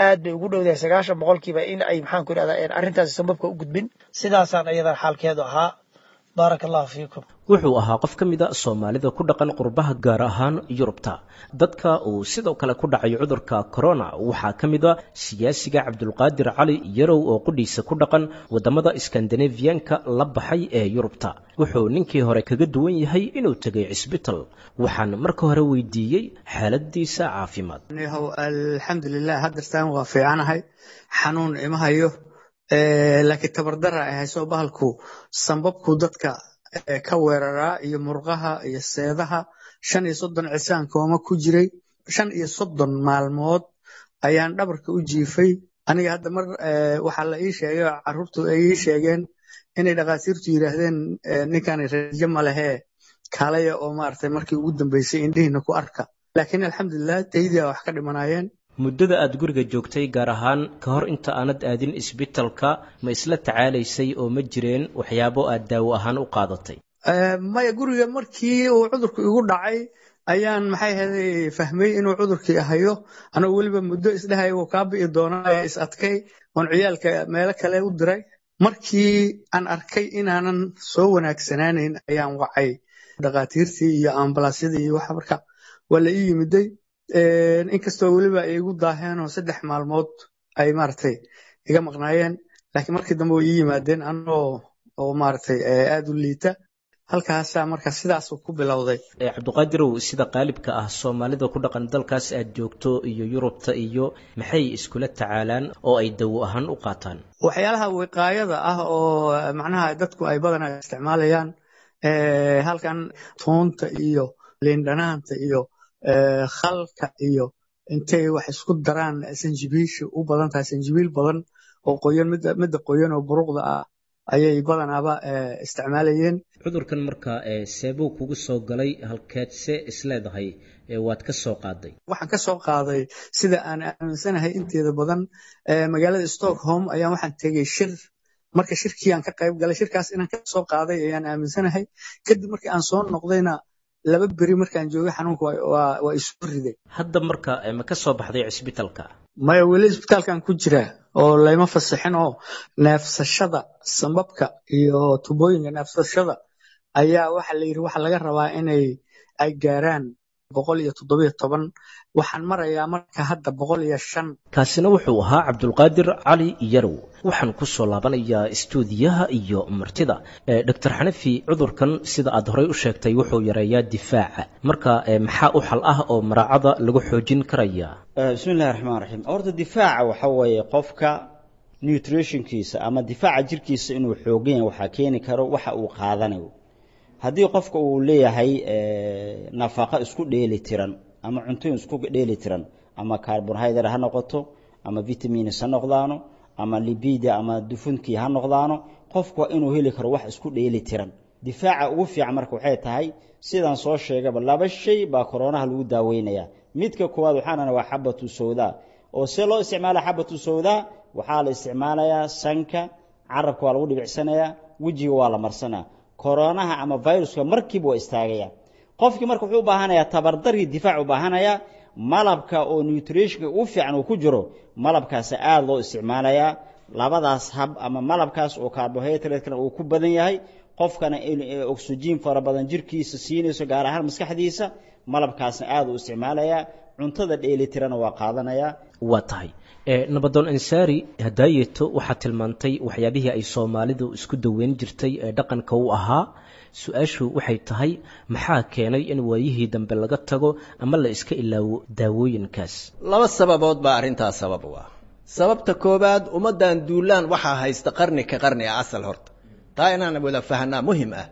aad bay ugu dhowdahay 90% in ay maxaan ku idhahdaa arrintaasi sababka u gudbin. Sidaasaan iyadan xaalkeedu ahaa. Baaraka allahu fiikum. Wuxuu ahaa qof ka mid a Soomaalida ku dhaqan qurbaha, gaar ahaan Yurubta. Dadka uu sidoo kale ku dhacay cudurka corona waxaa ka mid a siyaasiga Cabdulqaadir Cali Yarow oo qudhiisa ku dhaqan waddamada Skandinaviyanka la baxay ee Yurubta. Wuxuu ninkii hore kaga duwan yahay inuu tegay cisbital. Waxaan marka hore weydiiyey xaaladiisa caafimaad. Alxamdulilah, haddartaan waa fiicanahay, xanuun ima hayo, laakiin tabardara ay hayso. Bahalku sambabku dadka ka weeraraa iyo murqaha iyo seedaha. 35 cisaan kooma ku jiray, 35 maalmood ayaan dhabarka u jiifay. Aniga hadda mar waxaa la ii sheegay oo carruurtu ay ii sheegeen inay dhakhaatiirtu yidhaahdeen ninkani rajo ma lehee, kaalaya oo maaragtay markii ugu dambeysay indhihiina ku arka. Laakiin alxamdulilah, taydiyaa wax ka dhimanaayeen. Muddada aad guriga joogtay, gaar ahaan ka hor inta aanad aadin isbitalka, ma isla tacaalaysay oo ma jireen waxyaabo aad daawo ahaan u qaadatay? Maya, guriga markii uu cudurku igu dhacay ayaan maxay ahayd fahmay inuu cudurkii ahayo, anagoo weliba muddo isdhahay wuu kaa bi'i doonaa, is adkay oon ciyaalka meelo kale u diray. Markii aan arkay inaanan soo wanaagsanaanayn ayaan wacay dhakhaatiirtii iyo ambalaasyadii iyo waxa. Marka waa la ii yimiday, inkastoo weliba ay igu daaheenoo 3 maalmood ay maaragtay iga maqnaayeen, laakiin markii dambe way ii yimaadeen anoo oo maaragtay aad u liita. Halkaasaa marka sidaasuu ku bilowday. Cabdiqaadirow, sida qaalibka ah Soomaalida ku dhaqan dalkaas aad joogto iyo Yurubta iyo maxay iskula tacaalaan oo ay dawo ahaan u qaataan? Waxyaalaha wiqaayada ah oo macnaha dadku ay badanaa isticmaalayaan halkan toonta iyo liindhanaanta iyo khalka iyo intay wax isku daraan, sanjibiisha u badan tahay, sanjibiil badan oo qoyan, midda qoyan oo buruqda ah ayay badanaaba isticmaalayeen. Cudurkan marka seebuu kugu soo galay, halkeedse isleedahay waad ka soo qaaday? Waxaan ka soo qaaday sida aan aaminsanahay inteeda badan magaalada Stockholm ayaan waxaan tegey shir. Marka shirkii aan ka qayb galay, shirkaas inaan ka soo qaaday ayaan aaminsanahay. Kadib markii aan soo noqdayna 2 beri markaan joogay xanuunka waa isu riday. Hadda marka ma ka soo baxday cisbitalka? Maya, weli isbitaalkan ku jiraa oo layma fasixin, oo neefsashada sambabka iyo tubooyinka neefsashada ayaa waxa la yidhi waxa laga rabaa inay ay gaaraan 117. Waxaan marayaa marka hadda 105. Kaasina wuxuu ahaa Cabdulqaadir Cali Yarow. Waxaan ku soo laabanayaa istuudiyaha iyo martida. Doctor Xanafi, cudurkan sida aad horey u sheegtay wuxuu yareeyaa difaaca, marka maxaa u xal ah oo maraacada lagu xoojin karaya? Bismi illahi raxmaan raxiim. Horta difaaca waxa weeye qofka nutritionkiisa ama difaaca jirkiisa inuu xoogan yahay waxaa keeni karo waxa uu qaadanayo. Haddii qofka uu leeyahay nafaqo isku dheeli tiran ama cuntooyin isku dheeli tiran, ama carbohydrate ha noqoto, ama vitamins ha noqdaano, ama libida ama dufunkii ha noqdaano, qofku waa inuu heli karo wax isku dheeli tiran. Difaaca ugu fiican marka waxay tahay, sidaan soo sheegaba, 2 shay baa koronaha lagu daaweynayaa. Midka koowaad waxaanana waa xabatu sawdaa, Oo see loo isticmaala xabatu sawdaa? Waxaa la isticmaalayaa sanka, carabka waa lagu dhibicsanayaa, wejiga waa la marsanaa. Koronaha ama viruska markiiba waa istaagaya. Qofkii marka wuxuu u baahanayaa tabardarii difaac u baahanayaa. Malabka oo nutritionka u fiican uu ku jiro, malabkaasi aada loo isticmaalayaa. Labadaas hab ama malabkaas oo carbohydrate-kana uu ku badan yahay, qofkana oxygen fara badan jirkiisa siinayso, gaar ahaan maskaxdiisa, malabkaasna aada u isticmaalayaa, cuntada dheelitirana waa qaadanayaa. Waa tahay. Nabadoon Ansaari, hadaayeeto waxaad tilmaantay waxyaabihii ay Soomaalidu isku daweyn jirtay ee dhaqanka u ahaa. Su-aashu waxay tahay, maxaa keenay in waayihii dambe laga tago ama la iska ilaawo daawooyinkaas? Laba sababood baa arrintaas sabab u ah. Sababta koowaad, ummaddan duulaan waxaa haysta qarni ka qarni ah. Asal horta taa inaan wada fahnaa muhim ah.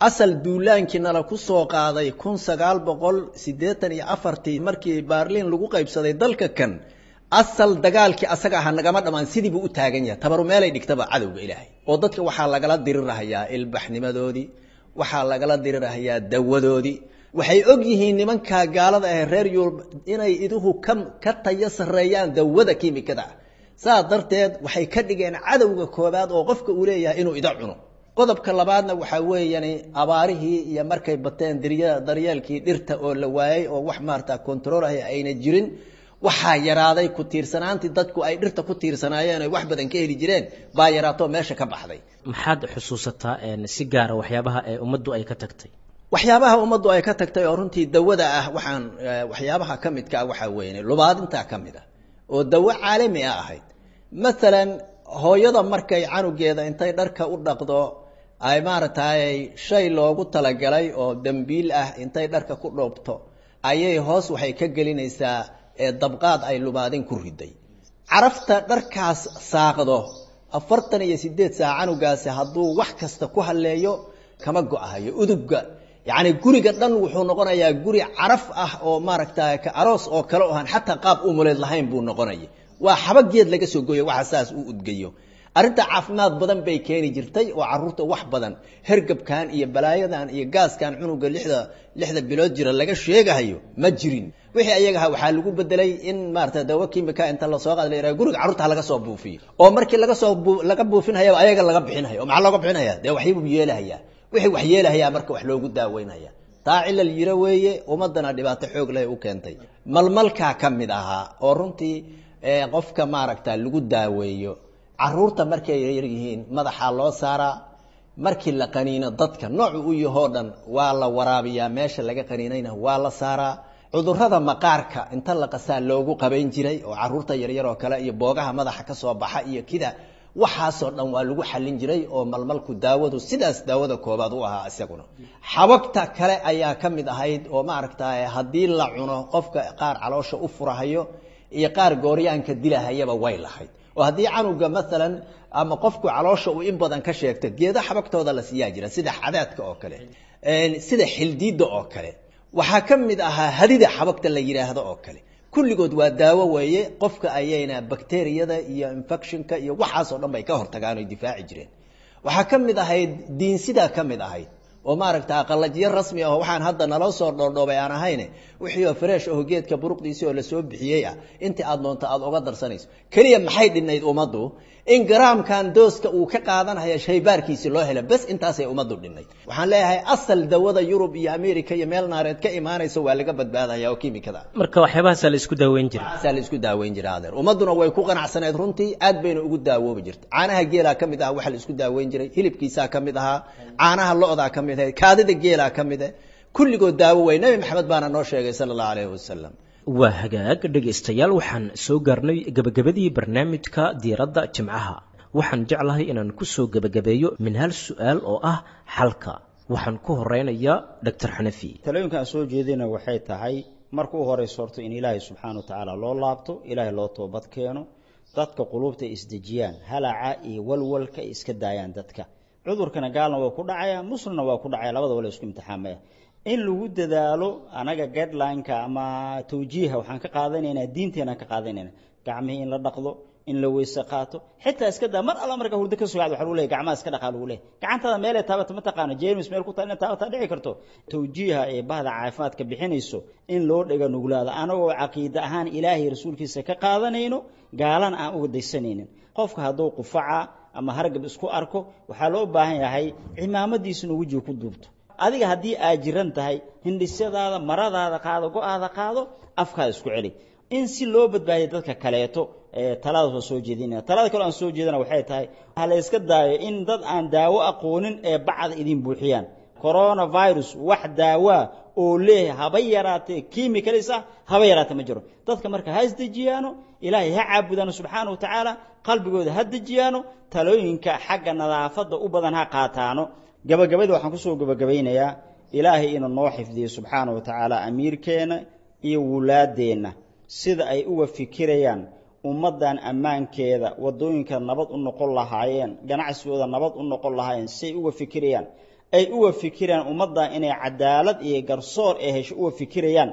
Asal duulaankii nala ku soo qaaday 1984-tii markii Baarliin lagu qaybsaday dalka kan, asal dagaalkii asaga aha nagama dhammaan, sidii buu u taagan yahay. Tabaru meelay dhigtaba cadowga Ilaahay oo dadka waxaa lagala dirirahayaa ilbaxnimadoodii, waxaa lagala dirirahayaa dawadoodii. Waxay og yihiin nimankaa gaalada ah reer Yurub inay iduhu ka tayo sarreeyaan dawada kiimikada ah. Saa darteed waxay ka dhigeen cadowga koobaad oo qofka uu leeyahay inuu ida cuno. Qodobka labaadna waxaa weeyani abaarihii iyo markay bateen daryeelkii dhirta oo la waayey oo wax maarata control ah ayna jirin, waxaa yaraaday ku tiirsanaantii dadku ay dhirta ku tiirsanaayeen ay wax badan ka heli jireen baa yaraatoo meesha ka baxday. Maxaad xusuusataa si gaara waxyaabaha ee ummaddu ay ka tagtay? Waxyaabaha ummaddu ay ka tagtay oo runtii dawada ah, waxaan waxyaabaha ka midka ah waxaa weeye lubaadintaa ka mid ah oo dawo caalami ah ahayd. Maalan hooyada markay canugeeda intay dharka u dhaqdo ay maaragtay shay loogu talagalay oo dambiil ah intay dharka ku dhoobto ayay hoos waxay ka gelinaysaa dabqaad ay lubaadin ku riday. Carafta dharkaas saaqdo 48 saac canugaasi hadduu wax kasta ku halleeyo kama go-ahayo udubga. Yacni guriga dhan wuxuu noqonayaa guri caraf ah oo maaragta ka aroos oo kale ohan xataa qaab umuleed lahayn buu noqonaya. Waa xaba geed laga soo gooyo waxa saas u udgayo. Arrinta caafimaad badan bay keeni jirtay oo carruurta wax badan hergabkan iyo balaayadan iyo gaaskan cunuga lixda bilood jira laga sheegahayo ma jirin. Wixii ayagaha waxaa lagu bedelay in maarata dawo kiimika inta lasoo qaado la yidhaha guriga carruurta ha laga soo buufiyo, oo markii laga soo laga buufinhayaba ayaga laga bixinhayo. Oo maxaa looga bixinaya? Dee waxyibuu yeelahayaa, wixii wax yeelahayaa marka wax loogu daaweynaya. Taa cilal yiro weeye, ummaddana dhibaato xoog leh u keentay. Malmalkaa ka mid ahaa oo runtii qofka maaragta lagu daaweeyo. Caruurta markay yar yihiin madaxaa loo saaraa, markii la qaniino dadka noocu u yahoo dhan waa la waraabiyaa, meesha laga qaniinayna waa la saaraa. Cudurrada maqaarka inta la qasaa loogu qabayn jiray oo caruurta yaryar oo kale iyo boogaha madaxa ka soo baxa iyo kida waxaasoo dhan waa lagu xallin jiray oo malmalku daawadu sidaas daawada koobaad u ahaa isaguna. Xabagta kale ayaa ka mid ahayd oo maaragta haddii la cuno qofka qaar caloosha u furahayo iyo qaar gooryaanka dilahayaba way lahayd. Oo haddii canuga maalan ama qofku caloosha uu in badan ka sheegto, geedo xabagtooda la siiyaa jira, sida xadaadka oo kale, sida xildiidda oo kale, waxaa ka mid ahaa hadida xabagta la yidhaahdo oo kale. Kulligood waa daawo weeye, qofka ayayna bakteriyada iyo infectionka iyo waxaasoo dhan bay ka hortagaan oy difaaci jireen. Waxaa ka mid ahayd diinsidaa ka mid ahayd oo maaragta qalajiyo rasmi ah oo waxaan hadda naloo soo dhoordhoobay aan ahayne, wixii oo fresh oo geedka buruqdiisii oo lasoo bixiyey ah intii aad doonto aad uga darsanayso. Keliya maxay dhinayd ummaddu? In garaamkan dooska uu ka qaadanaya shaybaarkiisi loo helo bes, intaasay ummaddu dhinayd. Waxaan leeyahay asal dawada Yurub iyo America iyo meel naareed ka imaanaysa waa laga badbaadaya oo kiimikada. Marka waxyaabahaasaa la isku daaweyn jiray. Waxaasaa la isku daaweyn jiray adeer, ummadduna way ku qanacsaneed runtii, aad bayna ugu daawoobi jirtay. Caanaha geelaa ka mid ah waxa la isku daaweyn jiray, hilibkiisaa ka mid ahaa, caanaha lo'daa ka mid ahayd, kaadida geelaa ka mid ah, kulligood daawo way. Nabi Maxamed baana noo sheegay sala allahu calayhi wasalam. Waa hagaag dhegaystayaal, waxaan soo gaarnay gebagabadii barnaamijka diiradda Jimcaha. Waxaan jeclahay inaan ku soo gebagabeeyo min hal su-aal oo ah xalka. Waxaan ku horeynayaa Doctor Xanafi. Talooyinka aan soo jeedina waxay tahay marka u horeyso horta in Ilaahay subxaana wa tacaala loo laabto, Ilaahay loo toobad keeno, dadka quluubta ay isdejiyaan, halaca iyo walwalka ay iska daayaan. Dadka cudurkana gaalna waa ku dhacaya, muslimna waa ku dhacaya, labadaba la isku imtixaamaya. In lagu dadaalo anaga guideline-ka ama tawjiiha waxaan ka qaadanaynaa diinteenaan ka qaadanaynaa, gacmihii in la dhaqdo, In la weyse qaato, xitaa iska daa mar alla marka hurdo ka soo kacdo, waxaa lagu leeyahay gacmaha iska dhaqaa lagu leeyahay. Gacantaada meelay taabato ma taqaano, jeermis meel ku taal inaad taabataa dhici karto. Tawjiiha ee bahda caafimaadka bixinayso in loo dhega nuglaado, anagoo caqiide ahaan Ilaahay rasuulkiisa ka qaadanayno, gaalana aan uga daysanaynin. Qofka hadduu qufaca ama hargab isku arko, waxaa loo baahan yahay cimaamadiisa inuu wejiga ku duubto. Adiga haddii aad jiran tahay, hindhisyadaada maradaada qaado, go-aada qaado, afkaada isku celi, in si loo badbaadiyo dadka kaleeto. Taladaas waa soo jeedinaya. Talada kale aan soo jeedina waxay tahay, ha la iska daayo in dad aan daawo aqoonin ee bacda idin buuxiyaan. Coronavirus wax daawaa oo leeyahay haba yaraatee chemicals ah haba yaraatee ma jiro. Dadka marka ha isdejiyaano, Ilaahay ha caabudaano subxaana wa tacaala, qalbigooda ha dejiyaano, talooyinka xagga nadaafadda u badan ha qaataano. Gabagabada waxaan kusoo gabagabaynayaa Ilaahay inuu noo xifdiyo subxaana wa tacaala amiirkeena iyo wulaadeenna, sida ay uga fikirayaan ummaddan ammaankeeda, waddooyinka nabad u noqon lahaayeen, ganacsigooda nabad u noqon lahaayeen, siay uga fikirayaan, ay uga fikirayaan ummaddan inay cadaalad iyo garsoor ee hesho uga fikirayaan,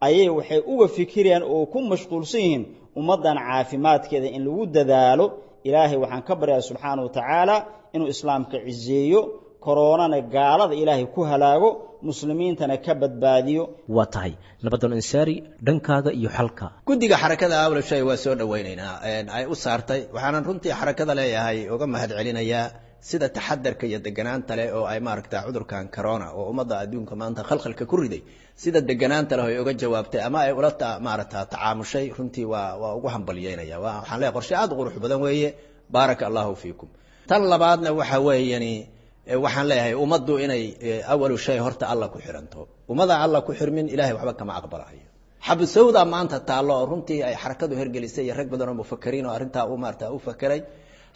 ayay waxay uga fikirayaan oo ku mashquulsan yihiin ummaddan caafimaadkeeda in lagu dadaalo. Ilaahay waxaan ka baryaa subxaana wa tacaala inuu islaamka ciseeyo, koroonana gaalada Ilaahay ku halaago, muslimiintana ka badbaadiyo. Waa tahay, Nabadoon Ansaari, dhankaaga iyo xalka. Guddiga xarakada awla shay waa soo dhawaynaynaa ay u saartay, waxaanan runtii xarakada leeyahay uga mahad celinayaa sida taxadarka iyo deganaanta leh oo ay maaragta cudurkan corona oo ummadda adduunka maanta khalkhalka ku riday, sida deganaanta leh ay uga jawaabtay ama ay ula maaragta tacaamushay. Runtii waa ugu hambalyeynaya. Waxaan leeyahay qorshe aad u qurux badan weeye, baaraka Allahu fiikum. Tan labaadna waxa weeyani, waxaan leeyahay ummaddu inay awalu shay horta Alla ku xiranto. Ummada Alla ku xirmin, Ilaahay waxba kama aqbalayo. Xabasowda maanta taallo oo runtii ay xarakadu hergelisay iyo rag badan oo mufakiriin oo arrintaa u maarata u fakeray,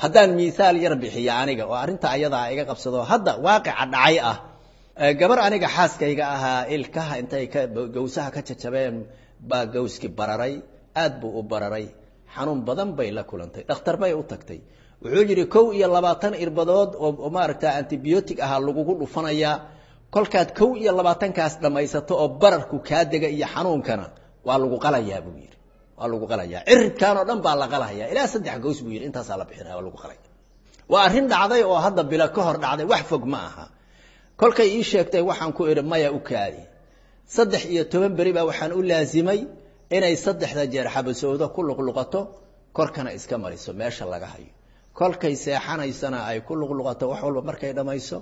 haddaan miisaal yar bixiyo aniga oo arrinta ayadaa iga qabsado hadda waaqica dhacay ah, gabar aniga xaaskayga ahaa ilkaha intay ka gawsaha ka jajabeen baa gawski bararay, aad buu u bararay, xanuun badan bay la kulantay. Dhakhtar bay u tagtay, wuxuu yidhi 21 irbadood oo maaragta antibiotic ahaa lagugu dhufanayaa, kolkaad 21kaas dhammaysato oo bararku kaa dega iyo xanuunkana waa lagu qalayaa buu yidhi, waa lagu qalayaa, ciribkan oo dhan baa la qalayaa, ilaa 3 gaws buu yidhi, intaasaa la bixinaya, waa lagu qalaya. Waa arrin dhacday oo hadda bilo ka hor dhacday, wax fog ma aha. Kolkay ii sheegtay waxaan ku idhi maya, u kaadi. 13 beri baa waxaan u laasimay inay 3da jeer xabasoodo ku luqluqato, korkana iska mariso meesha laga hayo, kolkay seexanaysana ay ku luqluqato, wax walba markay dhammayso,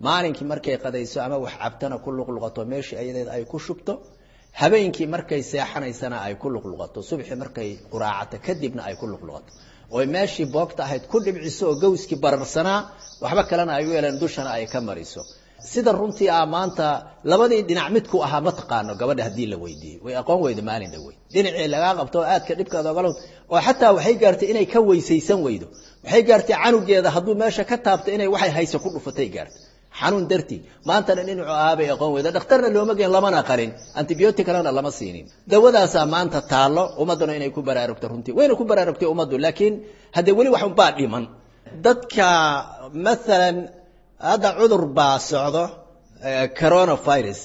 maalinkii markay qadayso ama wax cabtana ku luqluqato meeshii ayadeed ay ku shubto, habeenkii markay seexanaysana ay ku luqluqato, subaxii markay quraacato kadibna ay ku luqluqato, oy meeshii boogta ahayd ku dhibciso oo gawskii bararsanaa waxba kalena ay u yeeleen dushana ay ka mariso. Sida runtii ah maanta labadii dhinac midku ahaa ma taqaano gabadha, haddii la weydiiyey way aqoon weyda maalin dhawey dhinacii lagaa qabto oo aadka dhibkaada ogala, oo xataa waxay gaartay inay ka weysaysan weydo, waxay gaartay canugeeda hadduu meesha ka taabto inay waxay hayso ku dhufatay gaartay xanuun dartii. Maantana dhinacu ahaabay aqoon weyda, dhakhtarna looma geen, lamana qalin, antibiotic kalena lama siinin. Dawadaasaa maanta taallo, ummadduna inay ku baraarugto, runtii wayna ku baraarugtay ummaddu, laakiin haddee weli wax unbaa dhiman. Dadka maalan hadda cudur baa socdo coronavirus,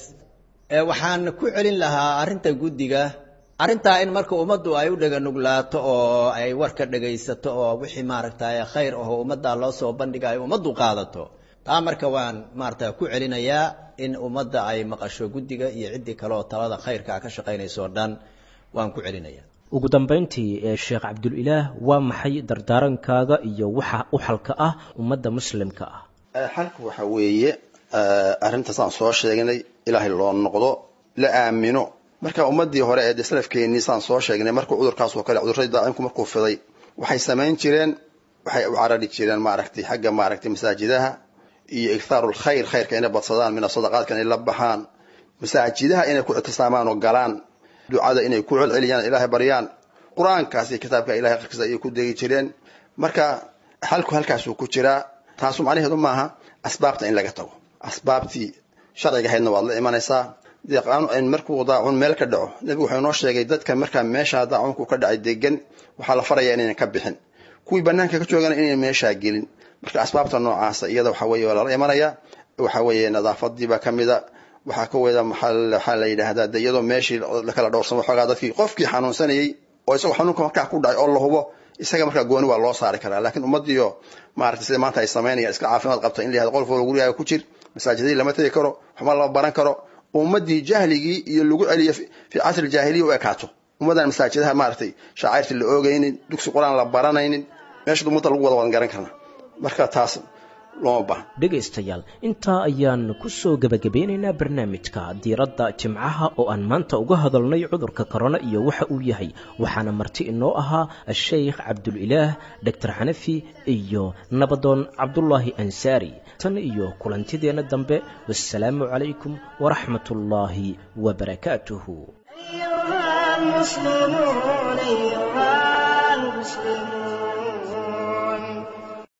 waxaan ku celin lahaa arrinta guddiga, arrintaa in marka ummaddu ay u dhega nuglaato oo ay warka dhegaysato oo wixii maaragtay khayr aho ummadda loo soo bandhiga ay ummaddu qaadato. Taa marka waan maarata ku celinayaa in ummadda ay maqasho guddiga iyo ciddii kale oo talada khayrkaa ka shaqaynayso o dhan waan ku celinaya. Ugu dambayntii, Sheekh Cabdulilaah, waa maxay dardaarankaaga iyo waxa u xalka ah ummadda muslimka ah? Xalku waxa weeye arrintaas aan soo sheegnay, Ilaahay loo noqdo, la aamino. Marka ummadii hore ee salafkeennii saan soo sheegnay, markuu cudurkaas oo kale, cudurradii daacinku markuu fiday, waxay samayn jireen, waxay u carari jireen maaragtay xagga maaragtay masaajidaha iyo ikthaaru lkhayr, khayrka inay badsadaan, min asadaqaadka inay la baxaan, masaajidaha inay ku ictisaamaan oo galaan, ducada inay ku celceliyaan, Ilaahay baryaan, qur-aankaas iyo kitaabka Ilahay qarkiisa ayay ku degi jireen. Marka xalku halkaasuu ku jiraa. Taasu macnaheedu maaha asbaabta in laga tago, asbaabtii sharciga ahaydna waad la imanaysaa. Markuu daacun meel ka dhaco, nebigu wuxuu inoo sheegay dadka markaa meeshaa daacunku ka dhacay degan waxaa la farayaa inaynan ka bixin, kuwii banaanka ka joogana inaynan meeshaa gelin. Marka asbaabta noocaasa iyada waxa weeye waa lala imanaya. Waxa weeye nadaafadiibaa kamida, waxaa ka weda maxaa la yidhaahdaa de iyadoo meeshii lakala dhowrsamo xoogaa dadkii, qofkii xanuunsanayey oo isagoo xanuunka markaa ku dhacay oo la hubo Isaga markaa gooni waa loo saari karaa, laakiin ummadiyo maaragtay sida maanta ay samaynayaan iska caafimaad qabta in la yihahdo qof walba gurigaaga ku jir, masaajidadii lama tegi karo, waxba lama baran karo, ummadii jahligii iyo lagu celiyo fi casri jaahiliya u ekaato, ummadaan masaajidaha maaragtay shacairta la oogaynin, dugsi qur-aan la baranaynin, meesha ummadda lagu wada wadan garan karna. Marka taas looma baahna. Dhegaystayaal, intaa ayaan ku soo gebagabeynaynaa barnaamijka diiradda jimcaha oo aan maanta uga hadalnay cudurka korona iyo waxa uu yahay. Waxaana marti inoo ahaa Sheikh Cabdulilaah, Doctor Xanafi iyo nabadoon Cabdulaahi Ansaari. Tan iyo kulantideenna dambe, wassalaamu calaykum waraxmatullaahi wabarakaatuhu. أيها المسلمون.